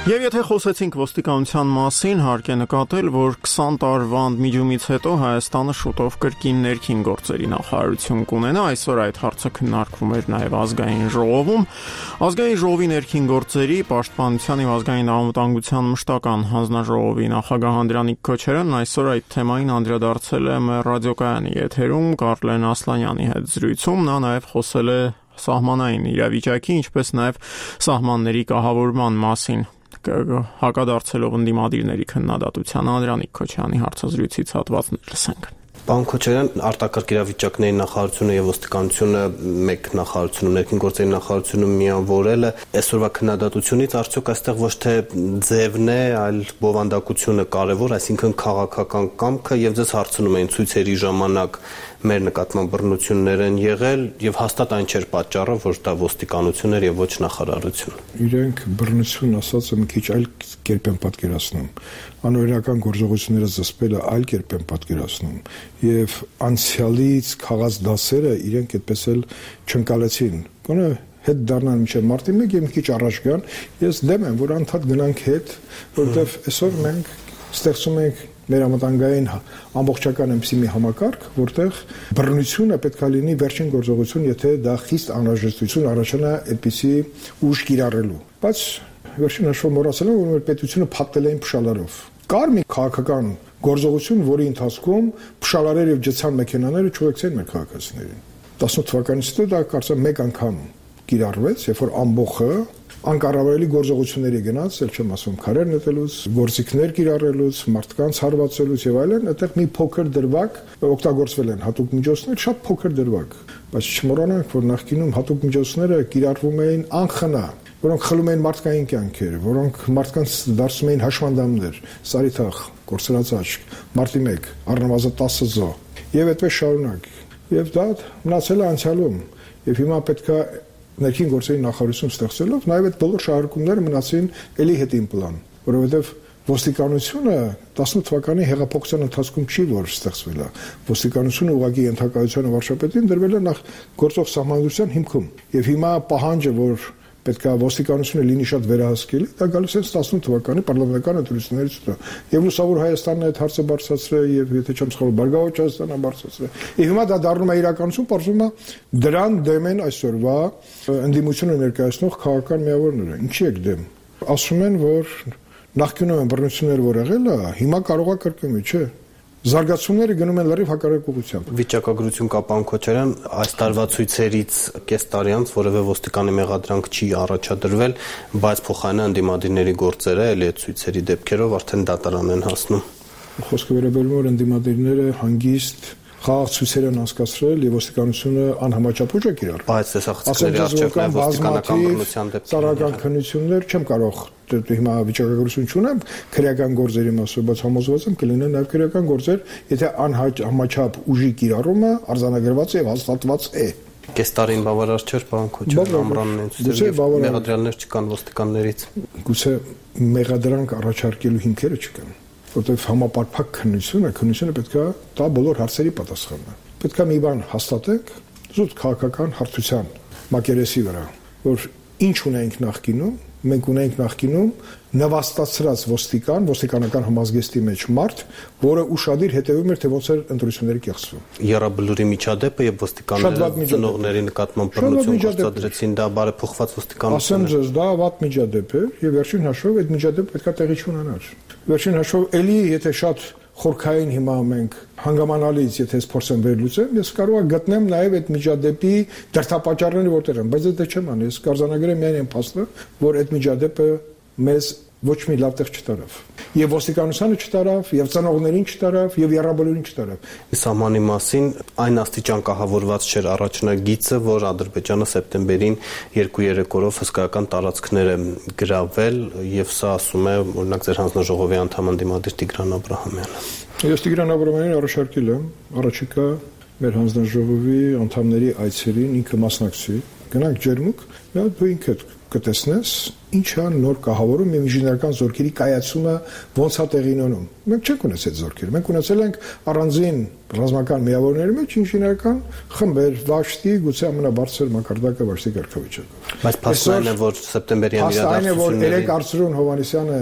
Եվ եթե խոսեցինք ոստիկանության մասին, հարկ է նկատել, որ քսան տարվա ընդմիջումից հետո Հայաստանը շուտով կրկին ներքին գործերի նախարարություն կունենա, այսօր այդ հարցը քննարկվում էր նաև ազգային ժողովում։ Ազգային ժողովի ներքին գործերի, պաշտպանության և ազգային անվտանգության մշտական հանձնաժողովի նախագահ Անդրանիկ Քոչարյանն այսօր այդ թեմային անդրադարձել է մեր ռադիոկայանի եթերում Կարլեն Ասլանյանի հետ զրույցում, նա նաև խոսել է սահմանային իրավիճակի, ինչպես նաև սահմանների կահավորման մասին։ Հակադարձելով ընդդիմադիրների քննադատության Անդրանիկ Քոչարյանի հարցազրույցից հատվածներ լսենք։ Պարոն Քոչարյան, արտակարգ իրավիճակների նախարարությունը եւ ոստիկանությունը մեկ նախարարությունը, ներքին գործերի նախարարությունը միավորելը այսօրվա քննադատությունից արդյոք այստեղ ոչ թե ձևն է, այլ բովանդակությունը կարևոր, այսինքն քաղաքական կամքը եւ ձեզ հարցնում էին ցույցերի ժամանակ մեր նկատմամբ բռնություններ են եղել եւ հաստատ այն չէր պատճառը, որ դա ոստիկանություն էր եւ ոչ նախարարություն։ Իրենք բռնություն ասածը մի քիչ այլ կերպ են պատկերացնում։ Անօրինական գործողությունները զսպելը այլ կերպ են պատկերացնում եւ անցյալից քաղած դասերը իրենք այդպես էլ չընկալեցին։ Գոնե հետ դառնան մինչև մարտի մեկը եւ մի քիչ առաջ գան։ Ես դեմ եմ, որ անդադ գնանք հետ, որովհետեւ այսօր մենք ստեղծում ենք մեր ամենտանգային ամբողջական այնպիսի մի համակարգ, որտեղ բռնությունը պետք է լինի վերջին գործողություն, եթե դա խիստ անհրաժեշտություն առաջանա այդպիսի ուժ կիրառելու։ Բայց վերջին հաշվով մոռացել եմ, որ մեր պետությունը փակվել էին փշալարով։ Կար մի քաղաքական գործողություն, որի ընթացքում փշալարերը եւ ջցան մեքենաները չուղեկցեն մեր քաղաքացիներին։ տասնութ թվականից հետո դա կարծեմ մեկ անգամ կիրառվեց, երբ որ ամբողջը անկառավարելի գործողությունների գնաց, ել չեմ ասում քարեր նետելուց, գործիքներ կիրառելուց, մարդկանց հարվածելուց եւ այլն, այդտեղ մի փոքր դրվագ օգտագործվել են հատուկ միջոցներ, շատ փոքր դրվագ, բայց չմոռանանք, որ նախկինում հատուկ միջոցները կիրառվում էին անխնա, որոնք խլում էին մարդկային կյանքեր, որոնք մարդկանց դարձնում էին հաշմանդամներ, սարիթախ, կորցրածաչք, մարտի մեկ, առնվազն տասը զո, եւ այդպես շարունակ։ Եվ դա մնացել է անցյալում, եւ հիմա պետքա ներքին գործերի նախարարություն ստեղծելով նաև այդ բոլոր շահարկումները մնացին էլի հետին պլան, որովհետև ոստիկանությունը տասնութ թվականի հեղափոխության ընթացքում չի որ ստեղծվել է։ Ոստիկանությունը ուղղակի ենթակայության վարչապետին դրվել է նախ գործող սահմանադրության հիմքում։ Եվ հիմա պահանջը, որ պետք է ոստիկանությունը լինի շատ վերահսկելի, դա գալիս է տասնութ թվականի պարլամենտական ընտրություններից հետո։ Եվ լուսավոր Հայաստանն այդ հարցը բարձրացրել եւ եթե չեմ սխալվում, Բարգավաճ Հայաստանը բարձրացրել։ Եվ հիմա դա դառնում է իրականություն, պարզվում է դրան դեմ են այսօրվա ընդդիմությունը ներկայացնող քաղաքական միավորները։ Ինչի եք դեմ։ Ասում են, որ նախկինում են բռնություններ, որ եղել է, հիմա կարող է կրկնվի, չէ։ Զարգացումները գնում են լրիվ հակառակ ուղղությամբ։ Վիճակագրություն կա, պարոն Քոչարյան, այս տարվա ցույցերից կես տարի անց որևէ ոստիկանի մեղադրանք չի առաջադրվել, բայց փոխարենը ընդդիմադիրների գործերը էլի այդ ցույցերի դեպքերով արդեն դատարան են հասնում։ Խոսքը վերաբերում է ընդդիմադիրները հանգիստ խաղաղ ցույցեր են անցկացրել եւ ոստիկանությունը անհամաչափ ուժ է կիրառել։ Բայց տեսախցիկների առջև նաև ոստիկանական բռնության դեպքեր։ Ծառայական քննություններ չեմ կարող հիմա վիճակագրություն չունեմ քրեական գործերի մասով, բայց համոզված եմ կլինեն նաև քրեական գործեր, եթե անհամաչափ ուժի կիրառումը արձանագրված է եւ հաստատված է։ Կես տարին բավարար չէր, պարոն Քոչարյան, ամռանն են մեղադրանքներ չկան ոստիկաններից։ Գուցե մեղադրանք առաջարկելու հիմքերը չկան, որտեղ համապարփակ քննությունը, քննությունը պետք է տա բոլոր հարցերի պատասխանը։ Պետք է մի բան հաստատենք զուտ քաղաքական հարթության մակերեսի վրա, որ ինչ ունենք նախկինում, մենք ունենք նախկինում նվաստացրած ոստիկան, ոստիկանական համազգեստի մեջ մարդ, որը ուշադիր հետևում էր, թե ոնց էր ընտրությունները կեղծվում։ Եռաբլուրի միջադեպը եւ ոստիկանների ծնողների նկատմամբ բռնություն գործադրեցին, դա բարեփոխված ոստիկանություն է։ Ասեմ է։ ձեզ, դա վատ միջադեպ էր եւ վերջին հաշվով այդ միջադեպը պետքա տեղի չունենար։ Վերջին հաշվով էլի եթե շատ խորքային հիմա մենք հանգամանալից, եթե ես փորձեմ վերլուծեմ, ես կարող եմ գտնեմ նաև այդ միջադեպի դրդապատճառները որտեղ են, բայց դա չեմ անի, ես կարձանագրեմ միայն այն փաստը, որ այդ միջադեպը մեզ ոչ մի լավ տեղ չտարավ։ Եվ ոստիկանությանը չտարավ, եւ ծնողներին չտարավ, եւ եռաբլուրին չտարավ։ Սահմանի մասին այն աստիճան կահավորված չէր առաջնագիծը, որ Ադրբեջանը սեպտեմբերին երկու-երեք օրով հսկայական տարածքներ է գրավել, եւ սա ասում է օրինակ ձեր հանձնաժողովի անդամ ընդդիմադիր Տիգրան Աբրահամյանը։ Ես Տիգրան Աբրահամյանին առաջարկել եմ առաջիկա մեր հանձնաժողովի անդամների այցերին ինքը մասնակցի, գնանք ջերմուկ, նա դու ինքդ կտեսնես ինչ է նոր կահավորում եւ ինժեներական զորքերի կայացումը ոնց է տեղի ունենում։ Մենք չենք ունեցել այդ զորքերը, մենք ունեցել ենք առանձին ռազմական միավորների մեջ ինժեներական խմբեր, վաշտի, գուցե ամենաբարձր մակարդակը վաշտի կարգավիճակը։ Բայց փաստն է, որ սեպտեմբերյան իրադարձությունները երեք Արծրուն Հովհաննիսյանը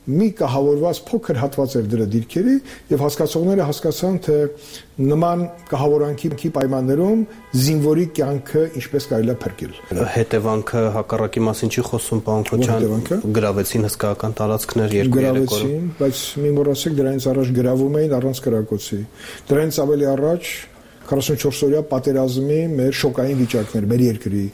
մի կահավորված փոքր հատված էր դրա դիրքերի եւ հասկացողները հասկացան թե նման կահավորանքի պայմաններում զինվորի կյանքը ինչպես կարելի է փրկել։ Հետևանքը հակառակի մասին չի խոսում, պարոն Քոչյան, գրավեցին հսկայական տարածքներ երկու-երեք օրը։ Գրավեցին, բայց մի մոռացեք դրանից առաջ գրավում էին առանց կրակոցի։ Դրանից ավելի առաջ քառասունչորս օրյա պատերազմի մեր շոկային վիճակներ մեր երկրի։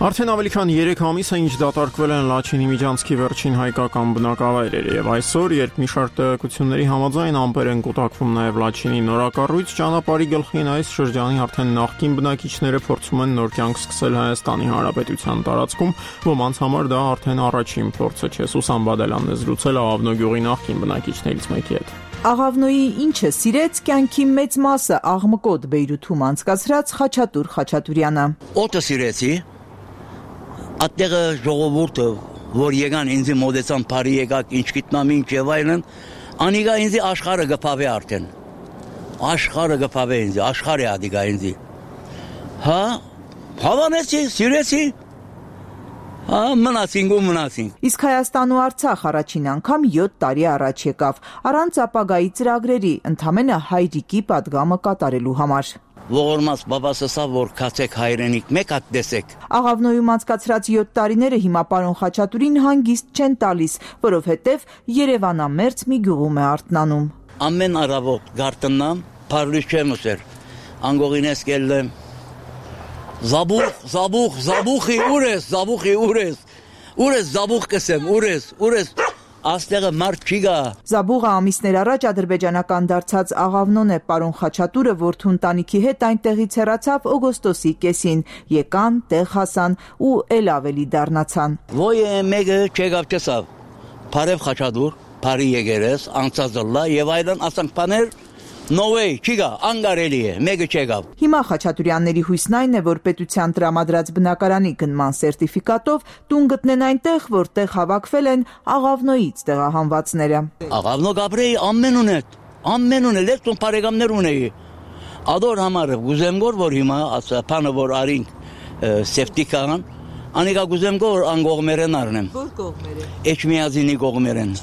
Արդեն ավելի քան երեք ամիս է ինչ դատարկվել են Լաչինի Միջանցքի վերջին հայկական բնակավայրերը եւ այսօր, երբ մի շարք տեղեկությունների համաձայն ամպեր են կուտակվում նաեւ Լաչինի նորակառույց ճանապարհի գլխին այս շրջանի արդեն նախկին բնակիչները փորձում են նոր կյանք սկսել Հայաստանի Հանրապետության տարածքում, ոմանց համար դա արդեն առաջին փորձը չէ։ Սուսան Բադալյանն է զրուցել Աղավնո գյուղի նախկին բնակիչներից մեկի հետ։ Աղավնոյի ինչը սիրեց կյանքի մեծ մասը աղմկոտ Բեյրութում անցկացրած Խաչատուր Խաչատուրյանը։ Օտը սիրեցի Ատեղը ժողովուրդը, որ եկան ինձի մոդեցան բարի եկակ, ինչ գիտնամ ինչ եւ այլն, անիգա ինձի աշխարհը գփավե արդեն։ Աշխարհը գփավե ինձի, աշխարհը ադիգա ինձի։ Հա, հավանեցի, սիրեցի։ Հա, մնացինք ու մնացինք։ Իսկ Հայաստան ու Արցախ առաջին անգամ յոթ տարի առաջ եկավ, առանց ապագայի ծրագրերի, ընդամենը հայրիկի պատգամը կատարելու համար։ Ողորմած բաբաս ասա, որ քացեք հայրենիք, մեկ հատ տեսեք։ Աղավնոյում անցկացրած յոթ տարիները հիմա պարոն Խաչատուրին հանգիստ չեն տալիս, որովհետև Երևանամերձ մի գյուղում է արթնանում։ Ամեն առավոտ գարտնամ, փարլուց չեմ ուսեր։ Անգողինես կելեմ։ Զաբուխ, զաբուխ, զաբուխի ուր ես, զաբուխի ուր ես։ Ուր ես զաբուխ կսեմ, ուր ես, ուր ես։ Աստեղը մարդ չի գա։ Զաբուղը ամիսներ առաջ ադրբեջանական դարձած Աղավնոն է, պարոն Խաչատուրը որդու ընտանիքի հետ այնտեղից հեռացավ օգոստոսի կեսին, եկան, տեղ հասան ու էլ ավելի դառնացան։ Ոյ մեկը չեկավ չսավ, Փարև Խաչատուր, Փարի եկերես, անցածլա եւ այլն ասանք բաներ, no way, չի գա, անգարելի է, մեկը չեկավ։ Հիմա Խաչատուրյանների հույսն այն է, որ պետության տրամադրած բնակարանի գնման սերտիֆիկատով տուն գտնեն այնտեղ, որտեղ հավաքվել են Աղավնոյից տեղահանվածները։ Աղավնո Գաբրեի ամեն ուներ, ամեն ուներ, լեքտոն բարեկամներ ունեի։ Ադոր համարը գուզեմ գոր, որ հիմա ասա փանը որ արինք սերտիֆիկան, անիկա գուզեմ գոր անգողմերեն առնեմ։ Որ կողմերը։ Էջմիածինի կողմերեն։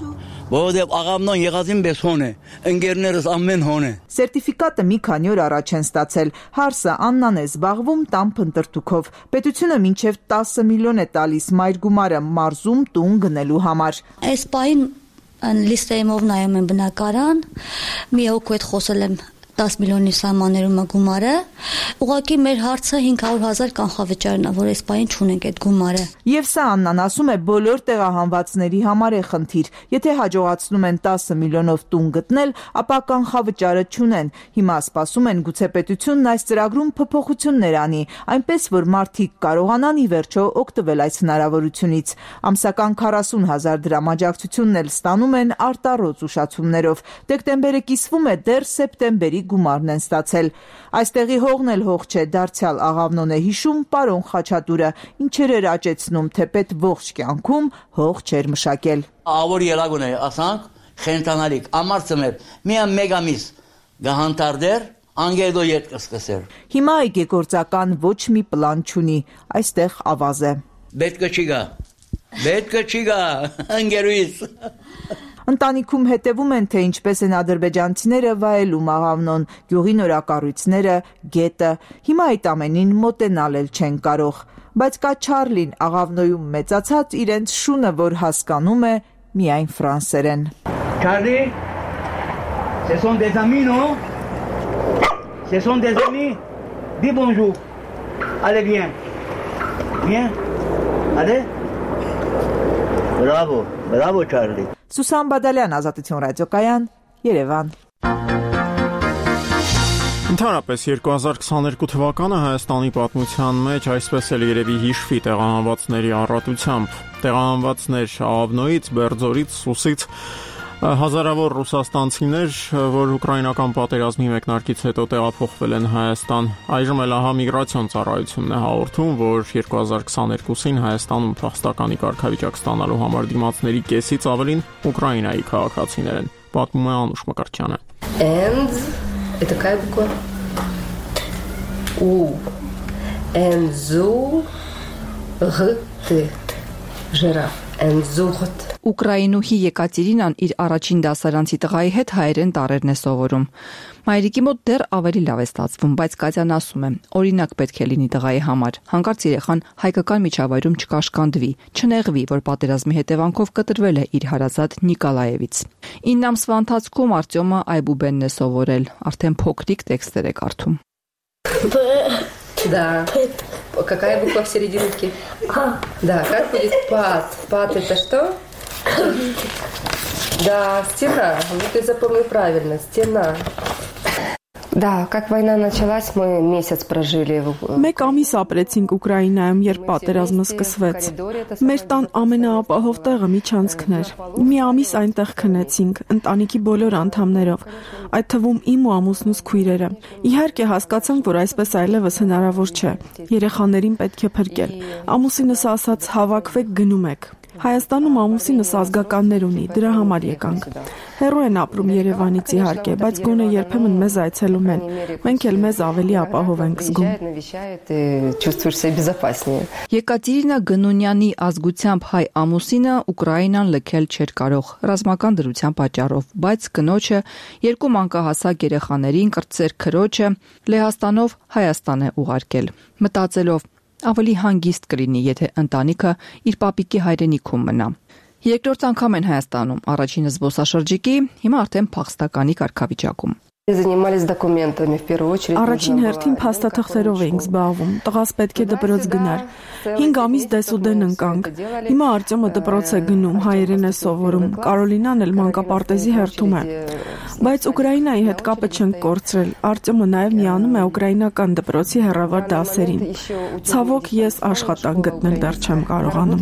Որովհետև Աղավնոն եղածին պես հոն է, ընկերներս ամեն հոն է։ Սերտիֆիկատը մի քանի օր առաջ են ստացել։ Հարսը Աննան է զբաղվում տան փնտրտուքով։ Պետությունը մինչև տասը միլիոն է տալիս մայր գումարը մարզում տուն գնելու համար։ Այս պահին լիստեյով նայում եմ բնակարան, մի հոգու հետ խոսել եմ տասը միլիոնի սահմաններում է գումարը, ուղղակի մեր հարցը հինգ հարյուր հազար կանխավճարն է, որ այս պահին չունենք այդ գումարը։ Եվ սա Աննան ասում է բոլոր տեղահանվածների համար է խնդիր։ Եթե հաջողացնում են տասը միլիոնով տուն գտնել, ապա կանխավճարը չունեն։ Հիմա սպասում են գուցե պետությունն այս ծրագրում փոփոխություններ անի, այնպես որ մարդիկ կարողանան ի վերջո օգտվել այս հնարավորությունից։ Ամսական քառասուն հազար դրամ աջակցությունն էլ ստանում են արտառոց ուշացումներով։ Դեկտեմբերը կիսվում է, դեռ սեպտեմբերի գումարն են ստացել։ Այստեղի հողն էլ հող չէ, դարձյալ Աղավնոն է հիշում պարոն Խաչատուրը, ինչեր էր աճեցնում, թեպետ ողջ կյանքում հող չէր մշակել։ Ավոր ելագուն է, ասանք, խենտանալիք, ամարցմեր, միան մեկ ամիս գահանտարդեր, անգերդո ետ կսկսեր։ Հիմա այգեգործական ոչ մի պլան չունի, այստեղ ավազ է։ Պետք չի գա։ Պետք չի գա, անգերուից։ Ընտանիքում հետևում են, թե ինչպես են ադրբեջանցիները վայելում աղավնոն, գյուղի նորակառույցները, գետը։ Հիմա այդ ամենին մոտենալ էլ չեն կարող։ Բայց կա Չարլին, աղավնոյում մեծացած իրենց շունը, որ հասկանում է միայն ֆրանսերեն։ Չարլի, ce sont des amis, non? Ce sont des amis? Dis bonjour. Allez, viens. Viens. Allez. Bravo, bravo Charlie. Սուսան Բադալյան, Ազատություն ռադիոկայան, Երևան։ Ընդհանրապես երկու հազար քսաներկու թվականը Հայաստանի պատմության մեջ այսպես էլ երևի հիշվի տեղահանվածների առատությամբ։ Տեղահանվածներ Աղավնոյից, Բերձորից, Սուսից, հազարավոր ռուսաստանցիներ, որ ուկրաինական պատերազմի մեկնարկից հետո տեղափոխվել են Հայաստան։ Այժմ էլ ահա միգրացիոն ծառայությունն է հաղորդում, որ երկու հազար քսաներկուսին Հայաստանում փախստականի կարգավիճակ ստանալու համար դիմացների կեսից ավելին Ուկրաինայի քաղաքացիներ են։ Պատմում է Անուշ Մկրտչյանը։ And это какая буква? У. Энзу. Г. Т. Жираф. Энзугт. Ուկրաինուհի Եկատերինան իր առաջին դասարանցի տղայի հետ հայերեն տառերն է սովորում։ Մայրիկի մոտ դեռ ավելի լավ է ստացվում, բայց Կատյան ասում է, օրինակ պետք է լինի տղայի համար։ Հանկարծ երեխան հայկական միջավայրում չկաշկանդվի, չնեղվի, որ պատերազմի հետևանքով կտրվել է իր հարազատ Նիկոլաևից։ ինը ամսվա ընթացքում Արտյոմը Այբուբենն է սովորել, արդեն փոքրիկ տեքստեր է կարդում։ Да. Какая буква в серединке? Да, как будет пад? Пад это что? Да, стена. Вот ты запомнил правильно, стена. Да, как война началась, мы месяц прожили. Մեկ ամիս ապրեցինք Ուկրաինայում, երբ պատերազմը սկսվեց։ Մեր տան ամենաապահով տեղը միջանցքն էր։ Մի ամիս այնտեղ քնեցինք, ընտանիքի բոլոր անդամներով, այդ թվում իմ ու ամուսնուս քույրերը։ Իհարկե հասկացանք, որ այսպես այլևս հնարավոր չէ։ Երեխաներին պետք է փրկել։ Ամուսինս ասաց՝ հավաքվեք, գնում եք։ Հայաստանում ամուսինս ազգականներ ունի, դրա համար եկանք։ Հեռու են ապրում Երևանից իհարկե, բայց գոնե երբեմն մեզ այցելում են։ Մենք էլ մեզ ավելի ապահով ենք զգում։ Եկատերինա Գնունյանի ազգությամբ հայ ամուսինը Ուկրաինան լքել չէր կարող ռազմական դրության պատճառով, բայց կնոջը երկու մանկահասակ երեխաներին կրտսեր քրոջը Լեհաստանով Հայաստան է ուղարկել, մտածելով ավելի հանգիստ կլինի, եթե ընտանիքը իր պապիկի հայրենիքում մնա։ Երկրորդ անգամ են Հայաստանում, առաջինը զբոսաշրջիկի, հիմա արդեն փախստականի կարգավիճակում։ Занимались документами в первую очередь. Առաջին հերթին փաստաթղթերով էինք զբաղվում։ Տղաս պետք է դպրոց գնար։ հինգ ամիս դեսուդեն ընկանք։ Հիմա Արտյոմը դպրոց է գնում, հայերեն է սովորում։ Կարոլինան էլ մանկապարտեզի հերթում է։ Բայց Ուկրաինայի հետ կապը չենք կորցրել։ Արտյոմը նաև միանում է ուկրաինական դպրոցի հեռավար դասերին։ Ցավոք ես աշխատանք գտնել դեռ չեմ կարողանում։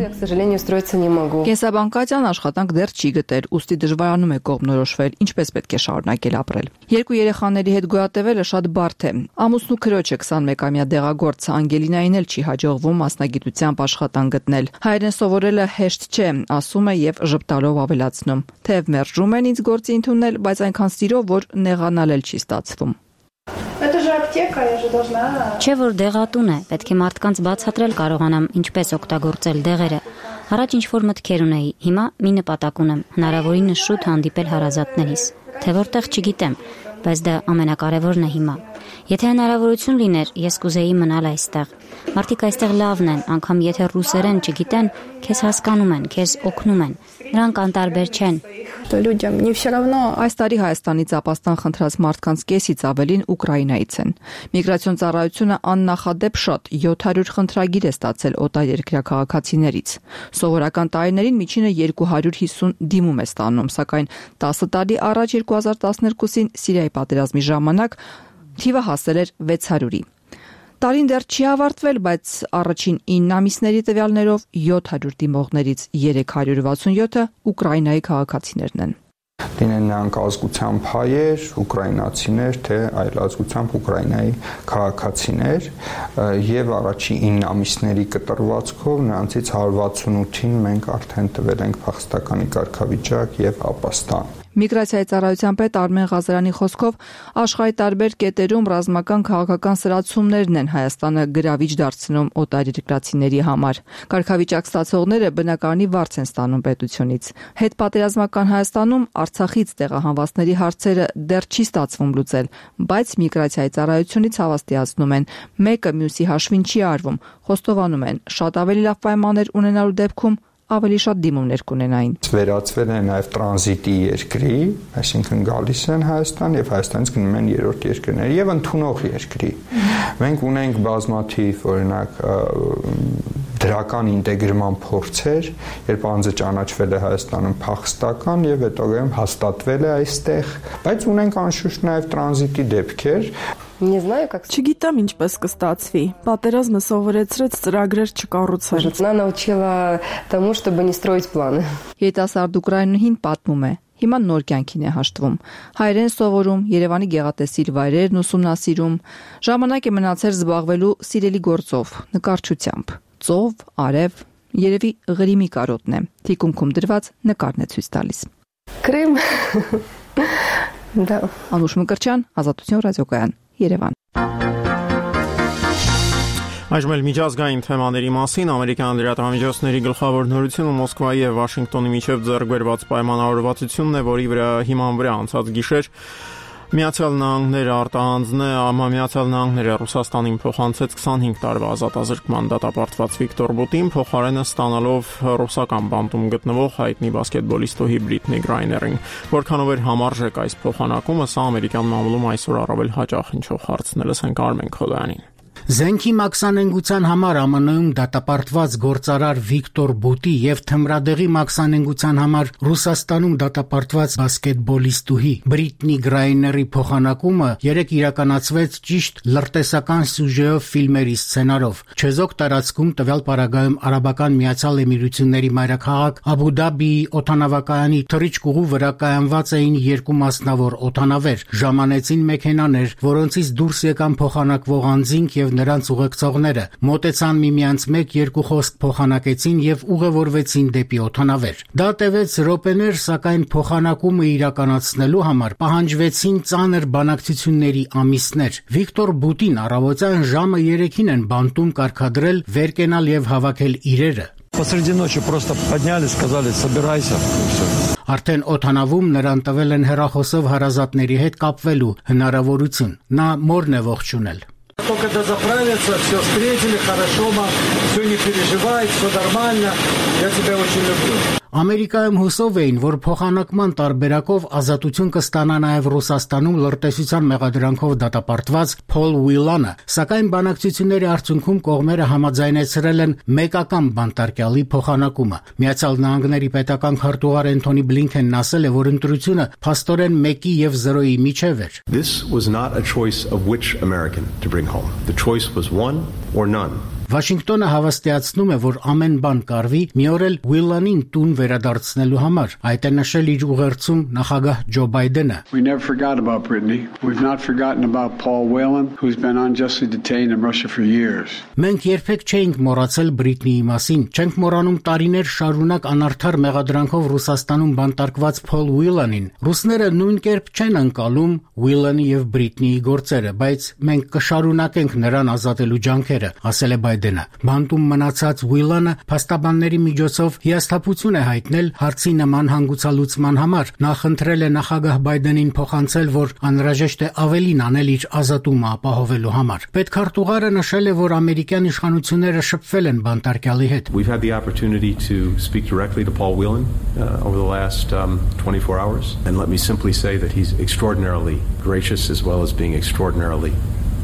Կենսաբան Կատյան աշխատանք դեռ չի գտել, ուստի դժվարանում է կողմնորոշվել, ինչպես պետք է շարունակել ապրել։ Երկու երեխաների հետ գոյատևելը շատ բարդ է։ Ամուսնու քրոջը քսանմեկամյա դեղագործ Անգելինային էլ չի հաջողվում մասնագիտությամբ աշխատանք գտնել։ Հայերեն սովորելը հեշտ չէ, ասում է եւ ժպտալով ավելացնում։ Թեև մերժում են ինձ գործի ընդունել, բայց այնքան սիրով, որ նեղանալ էլ չի ստացվում։ Это же аптека, я же должна. Չէ որ դեղատուն է, պետք է մարդկանց բացատրել կարողանամ ինչպես օգտագործել դեղերը։ Առաջ ինչ որ մտքեր ունեի, հիմա մի նպատակ ունեմ՝ հնարավորինս շուտ հանդիպել հարազատներիս։ Թե որտեղ չգիտեմ, բայց դա ամենակարևորն է հիմա։ Եթե հնարավորություն լիներ, ես կուզեի մնալ այստեղ։ Մարդիկ այստեղ լավն են, անգամ եթե ռուսերեն չգիտեն, քեզ հասկանում են, քեզ օգնում են։ Նրանք անտարբեր չեն։ Այս տարի Հայաստանից ապաստան խնդրած մարդկանց կեսից ավելին Ուկրաինայից են։ Միգրացիոն ծառայությունը աննախադեպ շատ յոթ հարյուր խնդրագիր է ստացել օտարերկրյա քաղաքացիներից։ Սովորական տարիներին միջինը երկու հարյուր հիսուն դիմում է ստանում, սակայն տասը տարի առաջ երկու հազար տասներկուսին Սիրիայի պատերազմի ժամանակ թիվը հասել էր վեց հարյուրի։ Տարին դեռ չի ավարտվել, բայց առաջին ինը ամիսների տվյալներով յոթ հարյուր դիմողներից երեք հարյուր վաթսունյոթը Ուկրաինայի քաղաքացիներն են։ Լինեն նրանք ազգությամբ հայեր, ուկրաինացիներ, թե այլ ազգությամբ Ուկրաինայի քաղաքացիներ, եւ առաջին ինը ամիսների կտրվածքով նրանցից հարյուր վաթսունութին մենք արդեն տվել ենք փախստականի կարգավիճակ եւ ապաստան։ Միգրացիայի ծառայության պետ Արմեն Ղազարյանի խոսքով աշխարհի տարբեր կետերում ռազմական քաղաքական սրացումներն են Հայաստանը գրավիչ դարձնում օտարերկրացիների համար։ Կարգավիճակ ստացողները բնակարանի վարձ են ստանում պետությունից։ Հետպատերազմական Հայաստանում Արցախից տեղահանվածների հարցերը դեռ չի ստացվում լուծել, բայց միգրացիայի ծառայությունից հավաստիացնում են, մեկը մյուսի հաշվին չի արվում, խոստովանում են, շատ ավելի լավ պայմաններ ունենալու դեպքում ավելի շատ դիմումներ կունենային։ Վերածվել են նաև տրանզիտի երկրի, այսինքն գալիս են Հայաստան եւ Հայաստանից գնում են երրորդ երկրներ եւ ընդունող երկրի։ Մենք ունենք բազմաթիվ, օրինակ, դրական ինտեգրման փորձեր, երբ անձը ճանաչվել է Հայաստանում փախստական եւ հետագայում հաստատվել է այստեղ, բայց ունենք անշուշտ նաև տրանզիտի դեպքեր։ Չգիտեմ ինչպես կստացվի։ Պատերազմը սովորեցրեց ծրագրեր չկառուցել։ Она научила тому, чтобы не строить планы. Երիտասարդ ուկրաինուհին պատմում է. Հիմա նոր կյանքին է հաշտվում։ Հայերեն սովորում, Երևանի գեղատեսիլ վայրերն ուսումնասիրում, ժամանակ է մնացել զբաղվելու սիրելի գործով, նկարչությամբ։ Ծով, արև, երևի Ղրիմի կարոտն է։ Թիկունքում դրված նկարն է ցույց տալիս։ Крым. Да. Անուշ Մկրտչյան, Ազատություն ռադիոկայան, Երևան։ Այժմ էլ միջազգային թեմաների մասին ամերիկյան լրատվամիջոցների գլխավոր նորությունը Մոսկվայի եւ Վաշինգտոնի միջև ձեռք բերված պայմանավորվածությունն է, որի վրա հիման վրա անցած գիշեր Միացյալ Նահանգները արտահանձն է, Միացյալ Նահանգները Ռուսաստանին փոխանցեց քսանհինգ տարվա ազատազրկման դատապարտված Վիկտոր Բուտին, փոխարենը ստանալով ռուսական բանտում գտնվող հայտնի բասկետբոլիստուհի Բրիթնի Գրայներին։ Որքանով էր համարժեք այս փոխանակումը, սա ամերիկյան մամուլում այսօր առավել հաճախ հնչող հարցն է, լսենք Արմեն Քոդյանին։ Զենքի մաքսանենգության համար ԱՄՆ-ում դատապարտված գործարար Վիկտոր Բուտի եւ թմրադեղի մաքսանենգության համար Ռուսաստանում դատապարտված բասկետբոլիստուհի Բրիթնի Գրայների փոխանակումը երեկ իրականացվեց ճիշտ լրտեսական սյուժեով ֆիլմերի սցենարով։ Չեզոք տարածքում տվյալ պարագայում Արաբական Միացյալ Էմիրությունների մայրաքաղաք Աբու Դաբիի օդանավակայանի թռիչքուղու վրա կայանված էին երկու մասնավոր օդանավեր, ժամանեցին մեքենաներ, որոնցից դուրս եկան փոխանակվող անձինք եւ նրանց ուղեկցողները, մոտեցան միմյանց մեկ-երկու խոսք փոխանակեցին եւ ուղևորվեցին դեպի օդանավեր։ Դա տևեց րոպեներ, սակայն փոխանակումը իրականացնելու համար պահանջվեցին ծանր բանակցությունների ամիսներ։ Վիկտոր Բուտին առավոտյան ժամը երեքին են բանտում կարգադրել վեր կենալ եւ հավաքել իրերը։ Посреди ночи просто подняли, сказали: "Собирайся", и всё. Արդեն օդանավում նրան տվել են հեռախոսով հարազատների հետ կապվելու հնարավորություն։ Նա մորն է ողջունել։ Только дозаправиться, все встретили, хорошо, мам, все не переживай, все нормально, я тебя очень люблю. Ամերիկայում հուսով էին, որ փոխանակման տարբերակով ազատություն կստանա նաև Ռուսաստանում լրտեսության մեղադրանքով դատապարտված Փոլ Ուիլանը, սակայն բանակցությունների արդյունքում կողմերը համաձայնեցրել են մեկական բանտարկյալի փոխանակումը։ Միացյալ Նահանգների պետական քարտուղար Էնթոնի Բլինքենն ասել է, որ ընտրությունը փաստորեն մեկի եւ զրոյի միջև էր։ This was not a choice of which American to bring home. The choice was one or none. Վաշինգտոնը հավաստիացնում է, որ ամեն բան կարվի մի օր էլ Ուիլանին տուն վերադարձնելու համար։ Այդ է նշել իր ուղերձում նախագահ Ջո Բայդենը։ We never forgot about Brittany. We've not forgotten about Paul Whelan, who's been unjustly detained in Russia for years. Մենք երբեք չէինք մոռացել Բրիթնիի մասին։ Չենք մոռանում տարիներ շարունակ անարդար մեղադրանքով Ռուսաստանում բանտարկված Փոլ Ուիլանին։ Ռուսները նույն կերպ չեն անցալում Ուիլանի եւ Բրիթնիի գործերը, բայց մենք կշարունակենք նրան ազատելու ջանքերը, ասել է Բայդենը։ Բանտում մնացած Ուիլանը փաստաբանների միջոցով հիասթափություն է հայտնել հարցի նման հանգուցալուծման համար։ Նա խնդրել է նախագահ Բայդենին փոխանցել, որ անհրաժեշտ է ավելին անել իր ազատումը ապահովելու համար։ Պետքարտուղարը նշել է, որ ամերիկյան իշխանությունները շփվել են բանտարկյալի հետ։ We've had the opportunity to speak directly to Paul Whelan uh, over the last um, twenty-four hours, and let me simply say that he's extraordinarily gracious as well as being extraordinarily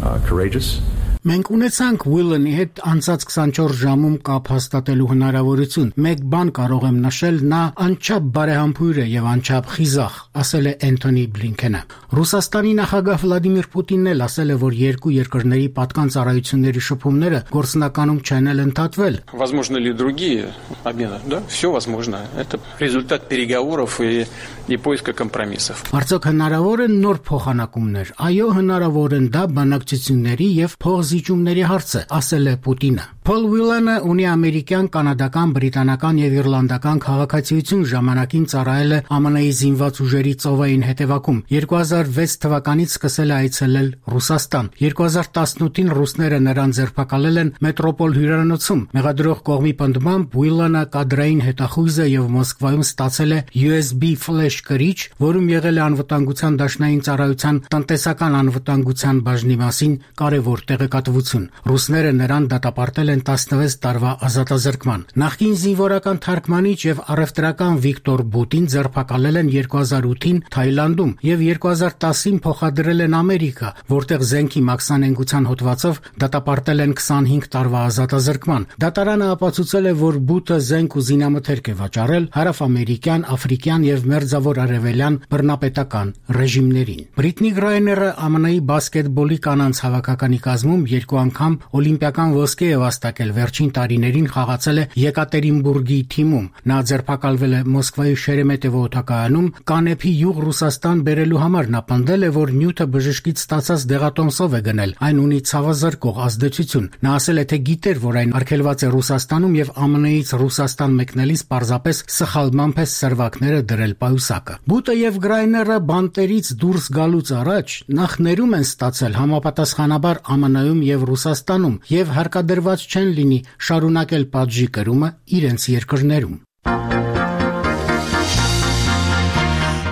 uh, courageous. Մենք ունեցանք Ուիլանի հետ անցած քսանչորս ժամում կապ հաստատելու հնարավորություն։ Մեկ բան կարող եմ նշել, նա անչափ բարեհամբույր է եւ անչափ խիզախ, ասել է Էնթոնի Բլինքենը։ Ռուսաստանի նախագահ Վլադիմիր Պուտինն էլ ասել է, որ երկու երկրների պատկան ծառայությունների շփումները գործնականում չեն էլ ընդհատվել։ Возможно ли другие обмены? Да, все возможно. Это результат переговоров и и поиска компромиссов. Արդյոք հնարավոր են նոր փոխանակումներ։ Այո, հնարավոր են, դա բանակցությունների եւ փոխզիջումների հարց է, ասել է Պուտինը։ Փոլ Ուիլանը ունի ամերիկյան, կանադական, բրիտանական եւ իռլանդական քաղաքացիություն, ժամանակին ծառայել է Ամն Ի զինված ուժերի ծովային հետևակում։ երկու հազար վեց թվականից սկսել է այցելել Ռուսաստան։ երկու հազար տասնութին ռուսները նրան ձերբակալել են Մետրոպոլ հյուրանոցում։ Մեղադրող կողմի պնդմամբ Ուիլանը կադրային հետախույզ է եւ Մոսկվայում ստացել է յու էս բի ֆլեշ կրիչ, որում եղել է անվտանգության դաշնային ծառայության տնտեսական անվտանգության բաժնի մասին կարևոր տեղեկատվություն։ Ռուսները նրան դատապարտել են տասնվեց տարվա ազատազրկման։ Նախկին զինվորական թարգմանիչ եւ առևտրական Վիկտոր Բուտին ձերբակալել են երկու հազար ութին Թայլանդում եւ երկու հազար տասին փոխադրել են Ամերիկա, որտեղ զենքի մաքսանենգության հոդվածով դատապարտել են քսանհինգ տարվա ազատազրկման։ Դատարանը ապացուցել է, որ Բուտը զենք ու զինամթերք է վաճառել հարավամերիկյան, աֆրիկյան եւ մերձավոր արևելյան բռնապետական ռեժիմներին։ Բրիտնի Գրայները Ամն Ի բասկետբոլի կանանց հավաքականի կազմում երկու անգամ օլիմպիական ոսկե է վաստակել, վերջին տարիներին խաղացել է Եկատերինբուրգի թիմում։ Նա ձերբակալվել է Մոսկվայի Շերեմետևո օդակայանում կանեփի յուղ Ռուսաստան բերելու համար։ Նա պնդել է, որ նյութը բժշկից ստացած դեղատոմսով է գնել, այն ունի ցավազրկող ազդեցություն։ Նա ասել է, թե գիտեր, որ այն արգելված է Ռուսաստանում եւ Ամն Իից Ռուսաստան մեկնելիս պարզապես սխալմամբ է սերվակները դրել պայուսակը։ Բուտը եւ Գրայները բանտերից դուրս գալուց առաջ նախ ներում են ստացել համապատասխանաբար Ամն Իում եւ Ռուսաստանում եւ հարկադրված չեն լինի շարունակել պատժի կրումը իրենց երկրներում։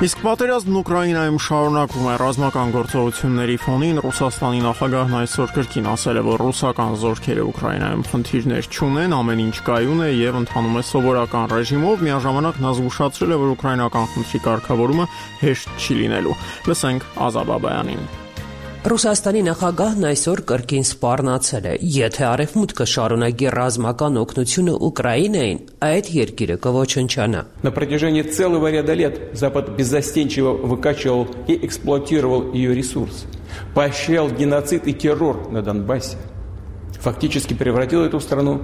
Իսկ պատերազմն Ուկրաինայում շարունակվում է։ Ռազմական գործողությունների ֆոնին Ռուսաստանի նախագահն այսօր կրկին ասել է, որ ռուսական զորքերը Ուկրաինայում խնդիրներ չունեն, ամեն ինչ կայուն է եւ ընթանում է սովորական ռեժիմով։ Միաժամանակ նա զգուշացրել է, որ ուկրաինական խնդրի կարգավորումը հեշտ չի լինելու։ Լսենք Ազաբ Աբայանին։ Ռուսաստանի նախագահն այսօր կրկին սպառնացել է. եթե Արևմուտքը շարունակի ռազմական օգնությունը Ուկրաինային, այդ երկիրը կոչնչանա։ На протяжении целого ряда лет Запад беззастенчиво выкачивал и эксплуатировал ее ресурсы, поощрял геноцид и террор на Донбассе, фактически превратил эту страну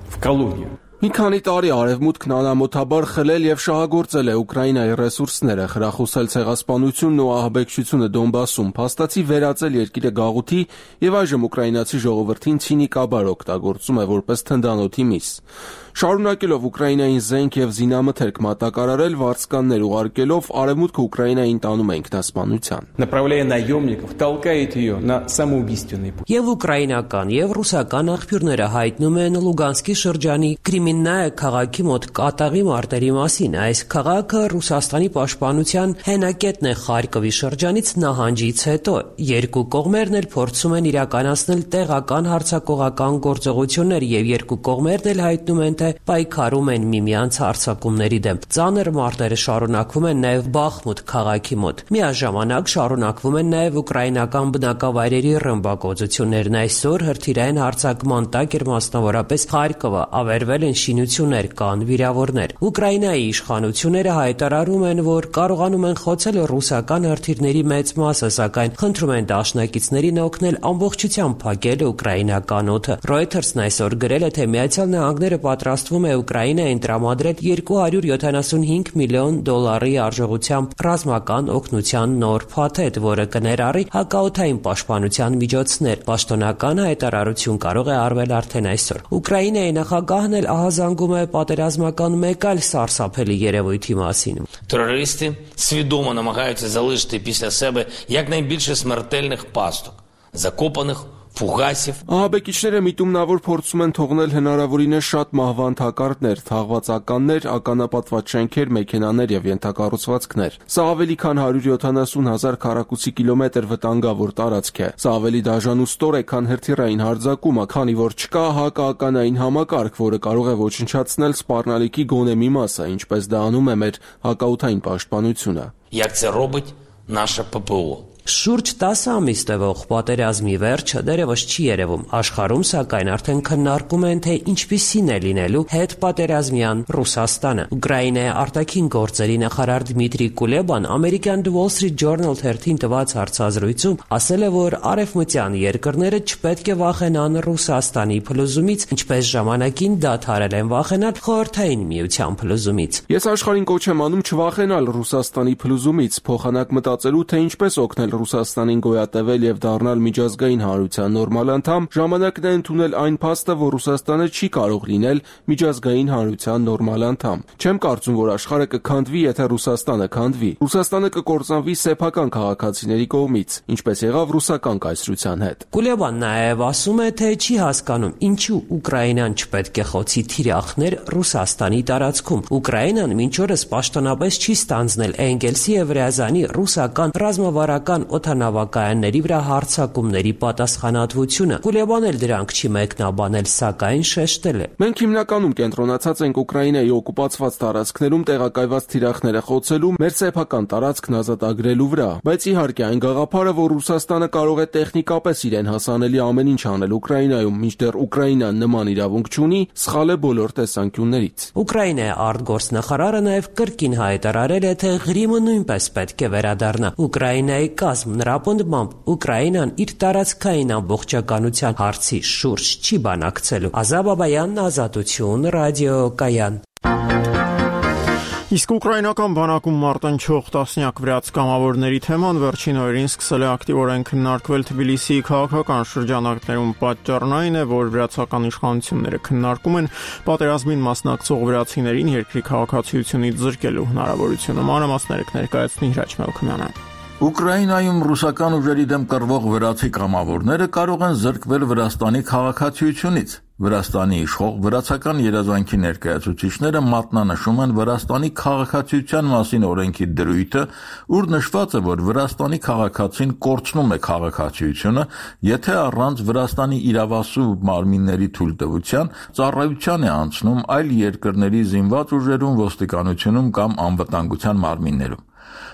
в колонию. Մի քանի տարի Արևմուտքն անամոթաբար խլել եւ շահագործել է Ուկրաինայի ռեսուրսները, խրախուսել ցեղասպանությունն ու ահաբեկչությունը Դոնբասում, փաստացի վերածել երկիրը գաղութի եւ այժմ ուկրաինացի ժողովրդին ցինիկաբար օգտագործում է որպես թնդանոթի միս։ Շարունակելով Ուկրաինային զենք եւ զինամթերք մատակարարել, վարձկաններ ուղարկելով, Արևմուտքը Ուկրաինային տանում է ինքնասպանության։ Направляя наемников, толкает ее на самоубийственный путь. Եվ ուկրաինական եւ ռուսական աղբյուրները հայտնում են Լուգանսկի շրջանի Կրիմիննայե քաղաքի մոտ կատաղի մարտերի մասին։ Այս քաղաքը Ռուսաստանի պաշտպանության հենակետն է Խարկովի շրջանից նահանջից հետո։ Երկու կողմերն էլ փորձում են իրականացնել տեղական հարձակողական գործողություններ եւ երկու կողմերն էլ հայտնում են, թե պայքարում են միմյանց հարձակումների դեմ։ Ծանր մարտերը շարունակվում են նաև Բախմուտ քաղաքի մոտ։ Միաժամանակ շարունակվում են նաև ուկրաինական բնակավայրերի ռմբակոծություններն։ Այսօր հրթիռային հարձակման տակ էր մասնավորապես Խարկովը, ավերվել են շինություններ, կան վիրավորներ։ Ուկրաինայի իշխանությունները հայտարարում են, որ կարողանում են խոցել ռուսական հրթիռների մեծ մասը, սակայն խնդրում են դաշնակիցներին օգնել ամբողջությամբ փակել ուկրաինական օդը։ Reuters-ն այսօր գրել է, թե Միացյալ Նահանգները պատրաստվում է Ուկրաինային տրամադրել երկու հարյուր յոթանասունհինգ միլիոն դոլարի արժողությամբ ռազմական օգնության նոր փաթեթ, որը կներառի հակաօդային պաշտպանության միջոցներ։ Պաշտոնական հայտարարություն կարող է արվել արդեն այսօր։ Ուկրաինայի նախագահն էլ ահազանգում է պատերազմական մեկ այլ սարսափելի երևույթի մասին։ Терористи свідомо намагаються залишити після себе якнайбільше смертельних пасток, закопаних Ֆուգասիվ Ահաբեկիչները միտումնավոր փորձում են թողնել հնարավորինս շատ մահվան թակարդներ, թաղված ականներ, ականապատված շենքեր, մեքենաներ եւ ենթակառուցվածքներ։ Սա ավելի քան հարյուր յոթանասուն հազար քառակուսի կիլոմետր վտանգավոր տարածք է։ Սա ավելի դաժան ու ստոր է, քան հրթիռային հարձակումը, քանի որ չկա հակաականային համակարգ, որը կարող է ոչնչացնել սպառնալիքի գոնե մի մասը, ինչպես դա անում է մեր հակաօդային պաշտպանությունը։ Як це робить наше ППО. Շուրջ տասը ամիս տևող պատերազմի վերջը դեռևս չի երևում։ Աշխարհում սակայն արդեն քննարկում են, թե ինչպիսին է լինելու հետպատերազմյան Ռուսաստանը։ Ուկրաինայի արտաքին գործերի նախարար Դմիտրի Կուլեբան ամերիկյան The Wall Street Journal թերթին տված հարցազրույցում ասել է, որ արևմտյան երկրները չպետք է վախենան Ռուսաստանի փլուզումից, ինչպես ժամանակին դադարել են վախենալ Խորհրդային Միության փլուզումից։ Ես աշխարհին կոչ եմ անում չվախենալ Ռուսաստանի փլուզումից, փոխանակ մտածելու, թե ինչպես օգնել Ռուսաստանին գոյատևել եւ դառնալ միջազգային հանրության նորմալ անդամ, ժամանակն է ընդունել այն փաստը, որ Ռուսաստանը չի կարող լինել միջազգային հանրության նորմալ անդամ։ Չեմ կարծում, որ աշխարհը կքանդվի, եթե Ռուսաստանը քանդվի։ Ռուսաստանը կկործանվի սեփական քաղաքացիների կողմից, ինչպես եղավ ռուսական կայսրության հետ։ Կուլեբան նաև ասում է, թե չի հասկանում, ինչու Ուկրաինան չպետք է խոցի թիրախներ Ռուսաստանի տարածքում։ Ուկրաինան մինչ օրս պաշտոնապես չի ստանձնել Էնգելսի եւ Ռյազանի ռուսական ռազմավարական օդանավակայանների վրա հարձակումների պատասխանատվությունը։ Կուլեբան էլ դրանք չի մեկնաբանել, սակայն շեշտել է. Մենք հիմնականում կենտրոնացած ենք Ուկրաինայի օկուպացված տարածքներում տեղակայված թիրախները խոցելու, մեր սեփական տարածքն ազատագրելու վրա, բայց իհարկե այն գաղափարը, որ Ռուսաստանը կարող է տեխնիկապես իրեն հասանելի ամեն ինչ անել Ուկրաինայում, մինչդեռ Ուկրաինան նման իրավունք չունի, սխալ է բոլոր տեսանկյուններից։ Ուկրաինայի արտգործնախարարը նաև կրկին հայտարարել է, թե Ղրիմը նույնպես պետք է վերադառնա Ուկրաինայի կազմ։ Նրա պնդմամբ Ուկրաինան իր տարածքային ամբողջականության հարցի շուրջ չի բանակցելու։ Ազատ Բաբայանն, Ազատություն, ռադիոկայան։ Իսկ ուկրաինական բանակում մարտնչող տասնյակ վրաց կամավորների թեման վերջին օրերին սկսել է ակտիվորեն քննարկվել Թբիլիսիի քաղաքական շրջանակներում։ Պատճառն այն է, որ վրացական իշխանությունները քննարկում են պատերազմին մասնակցող վրացիներին երկրի քաղաքացիությունից զրկելու հնարավորությունը։ Մանրամասները կներկայացնի Հրաչ Մելքումյանը։ Ուկրաինայում ռուսական ուժերի դեմ կռվող վրացի կամավորները կարող են զրկվել Վրաստանի քաղաքացիությունից։ Վրաստանի իշխող վրացական երազանքի ներկայացուցիչները մատնանշում են Վրաստանի քաղաքացիության մասին օրենքի դրույթը, ուր նշված է, որ Վրաստանի քաղաքացին կորցնում է քաղաքացիությունը, եթե առանց Վրաստանի իրավասու մարմինների թույլտվության ծառայության է անցնում այլ երկրների զինված ուժերում, ոստիկանությունում կամ անվտանգության մարմիններում։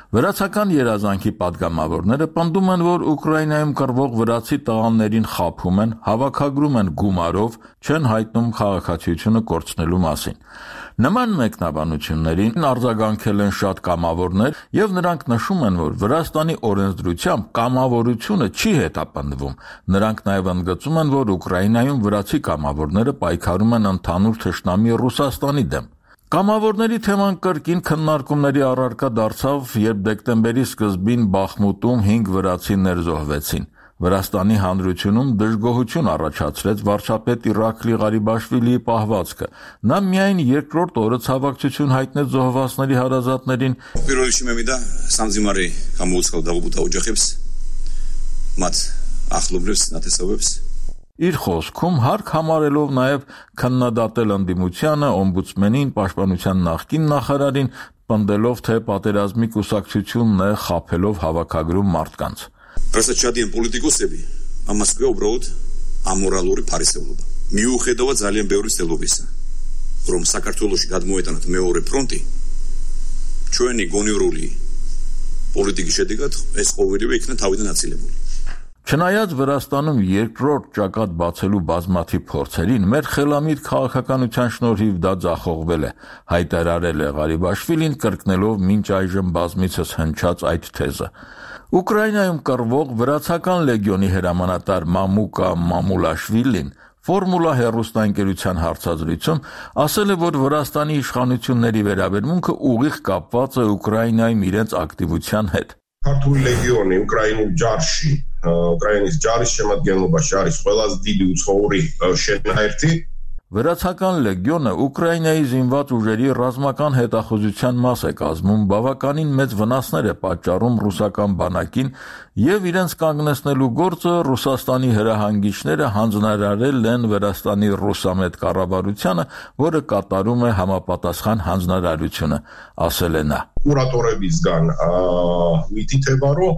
Վրացական երազանքի պատգամավորները պնդում են, որ Ուկրաինայում կռվող վրացի տղաներին խաբում են, հավաքագրում են գումարով, չեն հայտնում քաղաքացիությունը կորցնելու մասին։ Նման մեկնաբանություններին արձագանքել են շատ կամավորներ եւ նրանք նշում են, որ Վրաստանի օրենսդրությամբ կամավորությունը չի հետապնդվում։ Նրանք նաեւ ընդգծում են, որ Ուկրաինայում վրացի կամավորները պայքարում են ընդհանուր թշնամի Ռուսաստանի դեմ։ Կամավորների թեման կրկին քննարկումների առարկա դարձավ, երբ դեկտեմբերի սկզբին Բախմուտում հինգ վրացիներ զոհվեցին։ Վրաստանի հանրությունում դժգոհություն առաջացրեց վարչապետ Իրաքլի Ղարիբաշվիլիի պահվածքը։ Նա միայն երկրորդ օրը ցավակցություն հայտնեց զոհվածների հարազատներին։ Իր խոսքում հարկ համարելով նաև քննադատել ընդդիմությանը, օմբուդսմենին, պաշտպանության նախկին նախարարին, պնդելով, թե պատերազմի կուսակցությունն է խաբելով հավաքագրում մարդկանց։ Ռասաչադիան պոլիտիկոսები ամասկվե օբրոդ ամորալուրի Փարիսելուբա։ Միուխեդովա զալիեն բեորիստելուբիսա։ Ռոմ Սակարտուլոշի գադմոյտանատ մեորի պրոնտի չոյնի գոնյուրուլի պոլիտիկի շեդիգատ այս խովերի վեքնը թավիդն ացիլեբուլ։ Չնայած Վրաստանում երկրորդ ճակատ բացելու բազմաթիվ փորձերին, մեր խելամիտ քաղաքականության շնորհիվ դա ձախողվել է, հայտարարել է Ղարիբաշվիլին, կրկնելով մինչ այժմ բազմիցս հնչած այդ թեզը։ Ուկրաինայում կռվող վրացական լեգիոնի հրամանատար Մամուկա Մամուլաշվիլին Ֆորմուլա հեռուստաընկերության հարցազրույցում ասել է, որ Վրաստանի իշխանությունների վերաբերմունքը ուղիղ կապված է Ուկրաինայում իրենց ակտիվության հետ։ Քարտուղի լեգիոնի Ուկրաինում ջարշի Ուկրաինից ջարիշ შემადგენლობაში არის ყველაზე დიდი უცხოური შენაერთი Վրացական լեգիոնը Ուկրաինայի զինված ուժերի ռազմական հետախուզության մաս է կազմում, բավականին մեծ վնասներ է պատճառում ռուսական բանակին եւ իրենց կանգնեցնելու գործը Ռուսաստանի հրահանգիչները հանձնարարել են Վրաստանի ռուսամետ կառավարությանը, որը կատարում է համապատասխան հանձնարարությունը, ասել է նա։ Կուրատորებիցգան միտիթեվարո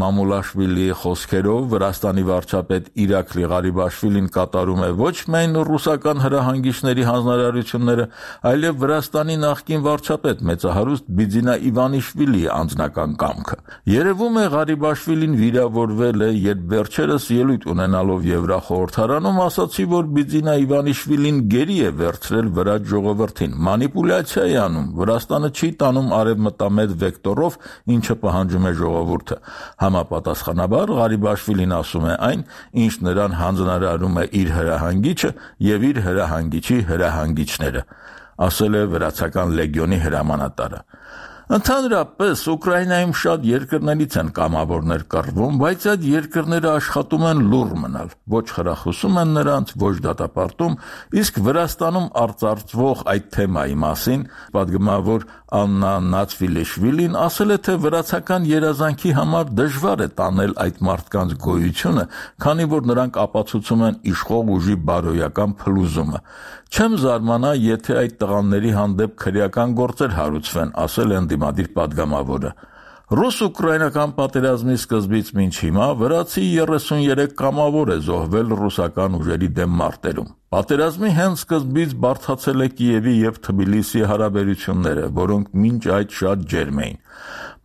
Մամուլաշվիլիի խոսքերով Վրաստանի վարչապետ Իրաքլի Ղարիբաշվիլին կատարում է ոչ միայն ռուսական հրահանգիչների հանձնարարությունները, այլև Վրաստանի նախկին վարչապետ մեծահարուստ Բիձինա Իվանիշվիլիի անձնական կամքը։ Երևում է Ղարիբաշվիլին վիրավորվել է, երբ վերջերս ելույթ ունենալով Եվրախորհրդարանում ասացի, որ Բիձինա Իվանիշվիլին գերի է վերցրել վրաց ժողովրդին, մանիպուլյացիա է անում, Վրաստանը չի տանում արևմտամետ վեկտորով, ինչը պահանջում է ժողովուրդը։ Համապատասխանաբար Ղարիբաշվիլին ասում է այն, ինչ նրան հանձնարարում է իր հրահանգիչը եւ իր հրահանգիչի հրահանգիչները, ասել է վրացական լեգիոնի հրամանատարը։ Ընդհանրապես Ուկրաինայում շատ երկրներից են կամավորներ կռվում, բայց այդ երկրները աշխատում են լուռ մնալ, ոչ խրախուսում են նրանց, ոչ դատապարտում, իսկ Վրաստանում արծարծվող այդ թեմայի մասին պատգամավոր Աննա Նացվիլեշվիլին ասել է, թե վրացական երազանքի համար դժվար է տանել այդ մարդկանց գոյությունը, քանի որ նրանք ապացուցում են իշխող ուժի բարոյական փլուզումը։ Չեմ զարմանա, եթե այդ տղաների հանդեպ քրեական գործեր հարուցվեն, ասել է ընդդիմադիր պատգամավորը։ Ռուս-ուկրաինական պատերազմի սկզբից մինչ հիմա վրացի երեսուներեք կամավոր է զոհվել ռուսական ուժերի դեմ մարտերում։ Պատերազմի հենց սկզբից բարդացել է Կիևի եւ Թբիլիսիի հարաբերությունները, որոնք մինչ այդ շատ ջերմ էին։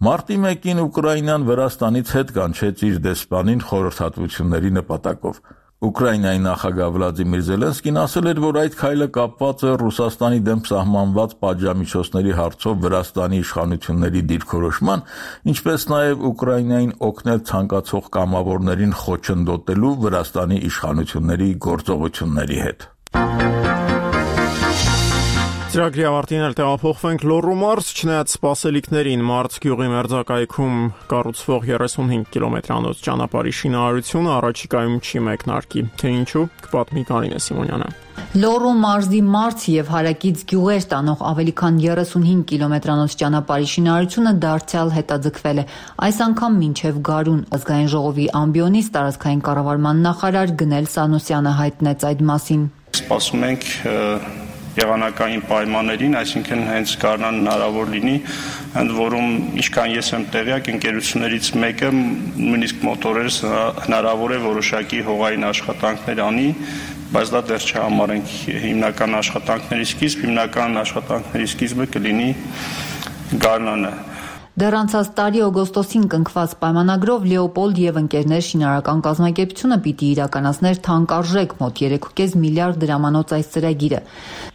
Մարտի մեկին Ուկրաինան Վրաստանից հետ կանչեց իր դեսպանին խորհրդատվությունների նպատակով։ Ուկրաինայի նախագահ Վլադիմիր Զելենսկին ասել էր, որ այդ քայլը կապված է Ռուսաստանի դեմ սահմանված պատժամիջոցների հարցով Վրաստանի իշխանությունների դիրքորոշման, ինչպես նաև Ուկրաինային օգնել ցանկացող կամավորներին խոչընդոտելու Վրաստանի իշխանությունների գործողությունների հետ։ Ծրագրի ավարտին էլ տեղափոխվենք Լոռու մարզ, չնայած սպասելիքներին մարզ գյուղի մերձակայքում կառուցվող երեսունհինգ կիլոմետրանոց ճանապարհի շինարարությունը առաջիկայում չի մեկնարկի, թե ինչու կպատմի Կարինե Սիմոնյանը։ Լոռու մարզի մարզ եւ հարակից գյուղեր տանող ավելի քան երեսունհինգ կիլոմետրանոց ճանապարհի շինարարությունը դարձյալ հետաձգվել է։ Այս անգամ մինչեւ Գարուն ազգային ժողովի ամբիոնից տարածքային կառավարման նախարար Գնել Սանոսյանը հայտնեց այդ մասին։ Սպասում ենք եղանակային պայմաններին, այսինքն հենց Գարնան հնարավոր լինի, ընդ որում ինչքան ես եմ տեղյակ, ընկերություններից մեկը նույնիսկ մոտորերս հնարավոր է որոշակի հողային աշխատանքներ անի, բայց դա դեռ չհամարենք հիմնական աշխատանքների սկիզբ, հիմնական աշխատանքների սկիզբը կլինի Գարնանը։ Դեռ անցած տարի օգոստոսին կնքված պայմանագրով Լեոպոլդ եւ ընկերներ շինարարական կազմակերպությունը պիտի իրականացներ թանկարժեք մոտ երեք կես միլիարդ դրամանոց այս ծրագիրը,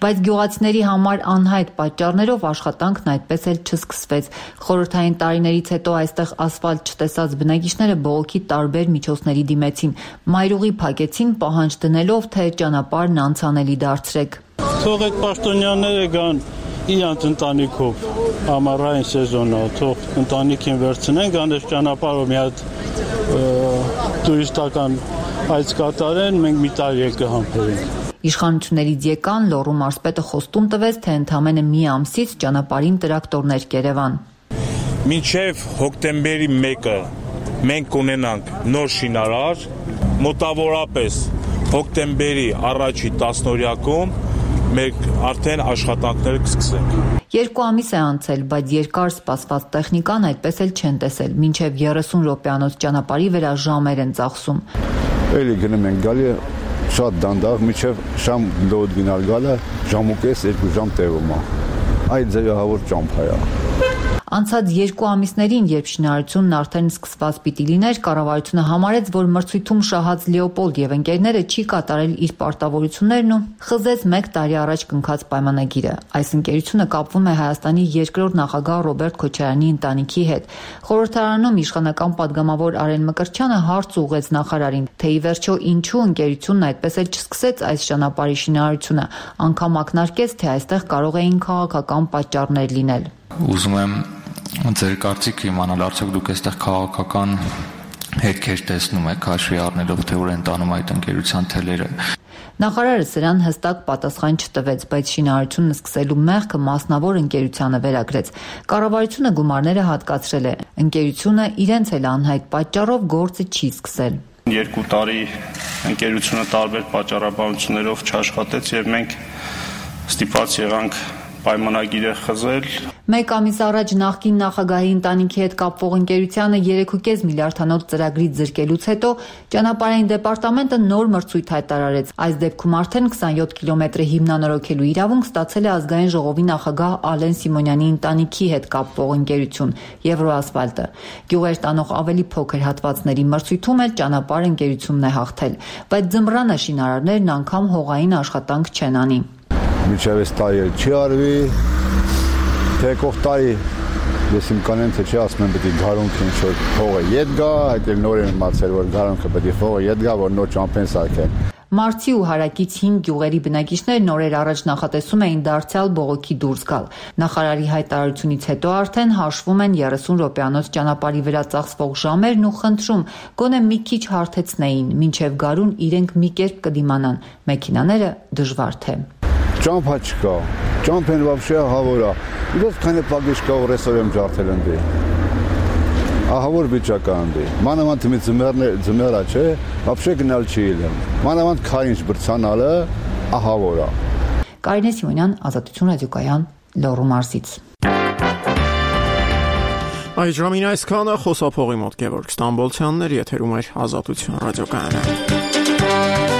բայց գյուղացիների համար անհայտ պատճառներով աշխատանքն այդպես էլ չսկսվեց։ Խորհրդային տարիներից հետո այստեղ ասֆալտ չտեսած բնակիչները բողոքի տարբեր միջոցների դիմեցին, մայրուղի փակեցին, պահանջ դնելով, թե ճանապարհն անցանելի դարձրեք։ Թող այդ պաշտոնյաները գան իրանց ընտանիքով ամառային սեզոնը, թող ընտանիքին վերցնեն, գան այս ճանապարհով մի հատ տուրիստական այց կատարեն, մենք մի տարի էլ կհամբերենք։ Իշխանություններից եկան, Լոռու մարզպետը խոստում տվեց, թե ընդամենը մի ամսից ճանապարհին տրակտորներ կերևան։ Մինչև հոկտեմբերի մեկը մենք կունենանք նոր շինարար, մոտավորապես հոկտեմբերի առաջի տասնօրյակում մենք արդեն աշխատանքները կսկսենք։ Երկու ամիս է անցել, բայց երկար սպասված տեխնիկան այդպես էլ չեն տեսել, մինչև երեսուն րոպեանոց ճանապարհի վրա ժամեր են ծախսում։ Էլի գնում ենք գալի շատ դանդաղ, մինչև շամ լոդ գնալ գալը ժամ ու կես, երկու ժամ տևում է։ Այդ ձևահավոր ճամփա է։ Անցած երկու ամիսներին, երբ շինարարությունն արդեն սկսված պիտի լիներ, կառավարությունը համարեց, որ մրցույթում շահած Լեոպոլդ եւ ընկերները չի կատարել իր պարտավորություններն ու խզեց մեկ տարի առաջ կնքած պայմանագիրը։ Այս ընկերությունը կապվում է Հայաստանի երկրորդ նախագահ Ռոբերտ Քոչարյանի ընտանիքի հետ։ Խորհրդարանում իշխանական падգամավոր Արեն Մկրտչյանը հարց ուղղեց նախարարին, թե ի վերջո ինչու ընկերությունն այդպես էլ չսկսեց այս ճանապարհի շինարարությունը, անգամ ակնարկեց, թե այստեղ կարող էին քաղաքական պատճառներ լինել։ Ուզում եմ ձեր կարծիքը իմանալ, արդյոք դուք այստեղ քաղաքական հետքեր տեսնում եք, հաշվի առնելով, թե ուր են տանում այդ ընկերության թելերը։ Նախարարը սրան հստակ պատասխան չտվեց, բայց շինարարությունն սկսելու մեղքը մասնավոր ընկերությանը վերագրեց։ Կառավարությունը գումարները հատկացրել է։ Ընկերությունը իրենց էլ անհայտ պատճառով գործը չի սկսել։ Երկու տարի ընկերությունը տարբեր պատճառաբանություններով չաշխատեց եւ մենք ստիպված եղանք պայմանագիրը խզել։ Մեկ ամիս առաջ նախկին նախագահի ընտանիքի հետ կապվող ընկերությանը երեք ու կես միլիարդանոց ծրագրից զրկելուց հետո ճանապարհային դեպարտամենտը նոր մրցույթ հայտարարեց։ Այս դեպքում արդեն քսանյոթ կիլոմետրը հիմնանորոգելու իրավունք ստացել է ազգային ժողովի նախագահ Ալեն Սիմոնյանի ընտանիքի հետ կապվող ընկերություն Եվրոասֆալտը։ Գյուղեր տանող ավելի փոքր հատվածների մրցույթում էլ ճանապարհ ընկերությունն է հաղթել, բայց ձմռանը շինարարներն անգամ հողային աշխատանք չեն անի։ Միջև այս տարի չի արվի, թե եկող տարի ես իմ կանեմ, թե չի ասում եմ պետք է գարունքը ինչ-որ փողը ետ գա, այդ էլ նոր եմ իմացել, որ գարունքը պետք է փողը ետ գա, որ նոր ճամփեն սարքեն։ Մարցի ու հարակից հինգ գյուղերի բնակիչներն օրեր առաջ նախատեսում էին դարձյալ բողոքի դուրս գալ։ Նախարարի հայտարարությունից հետո արդեն հաշվում են երեսուն րոպեանոց ճանապարհի վրա ծախսվող ժամերն ու խնդրում գոնե մի քիչ հարթեցնեին, մինչև գարուն իրենք մի կերպ կդիմանան, մեքենաները դժվար թե։ Ճամփա չկա, ճամփեն вообще ահավոր է։ Իդես քանի պագիշ կա ռեսորեմ ջարդել ընդ։ Ահավոր վիճական դի։ Մանավանդ մի ձմեռներ ձմեռա չէ, вообще գնալ չի ելեմ։ Մանավանդ քայինչ բրցանալը ահավոր է։ Կարինե Սիմոնյան, Ազատություն ռադիոկայան, Լոռու մարզից։ Այս ժամին այսքանը, խոսափողի մոտ Գևորգ Ստամբոլցյանն էր, եթերում էր Ազատություն ռադիոկայանը։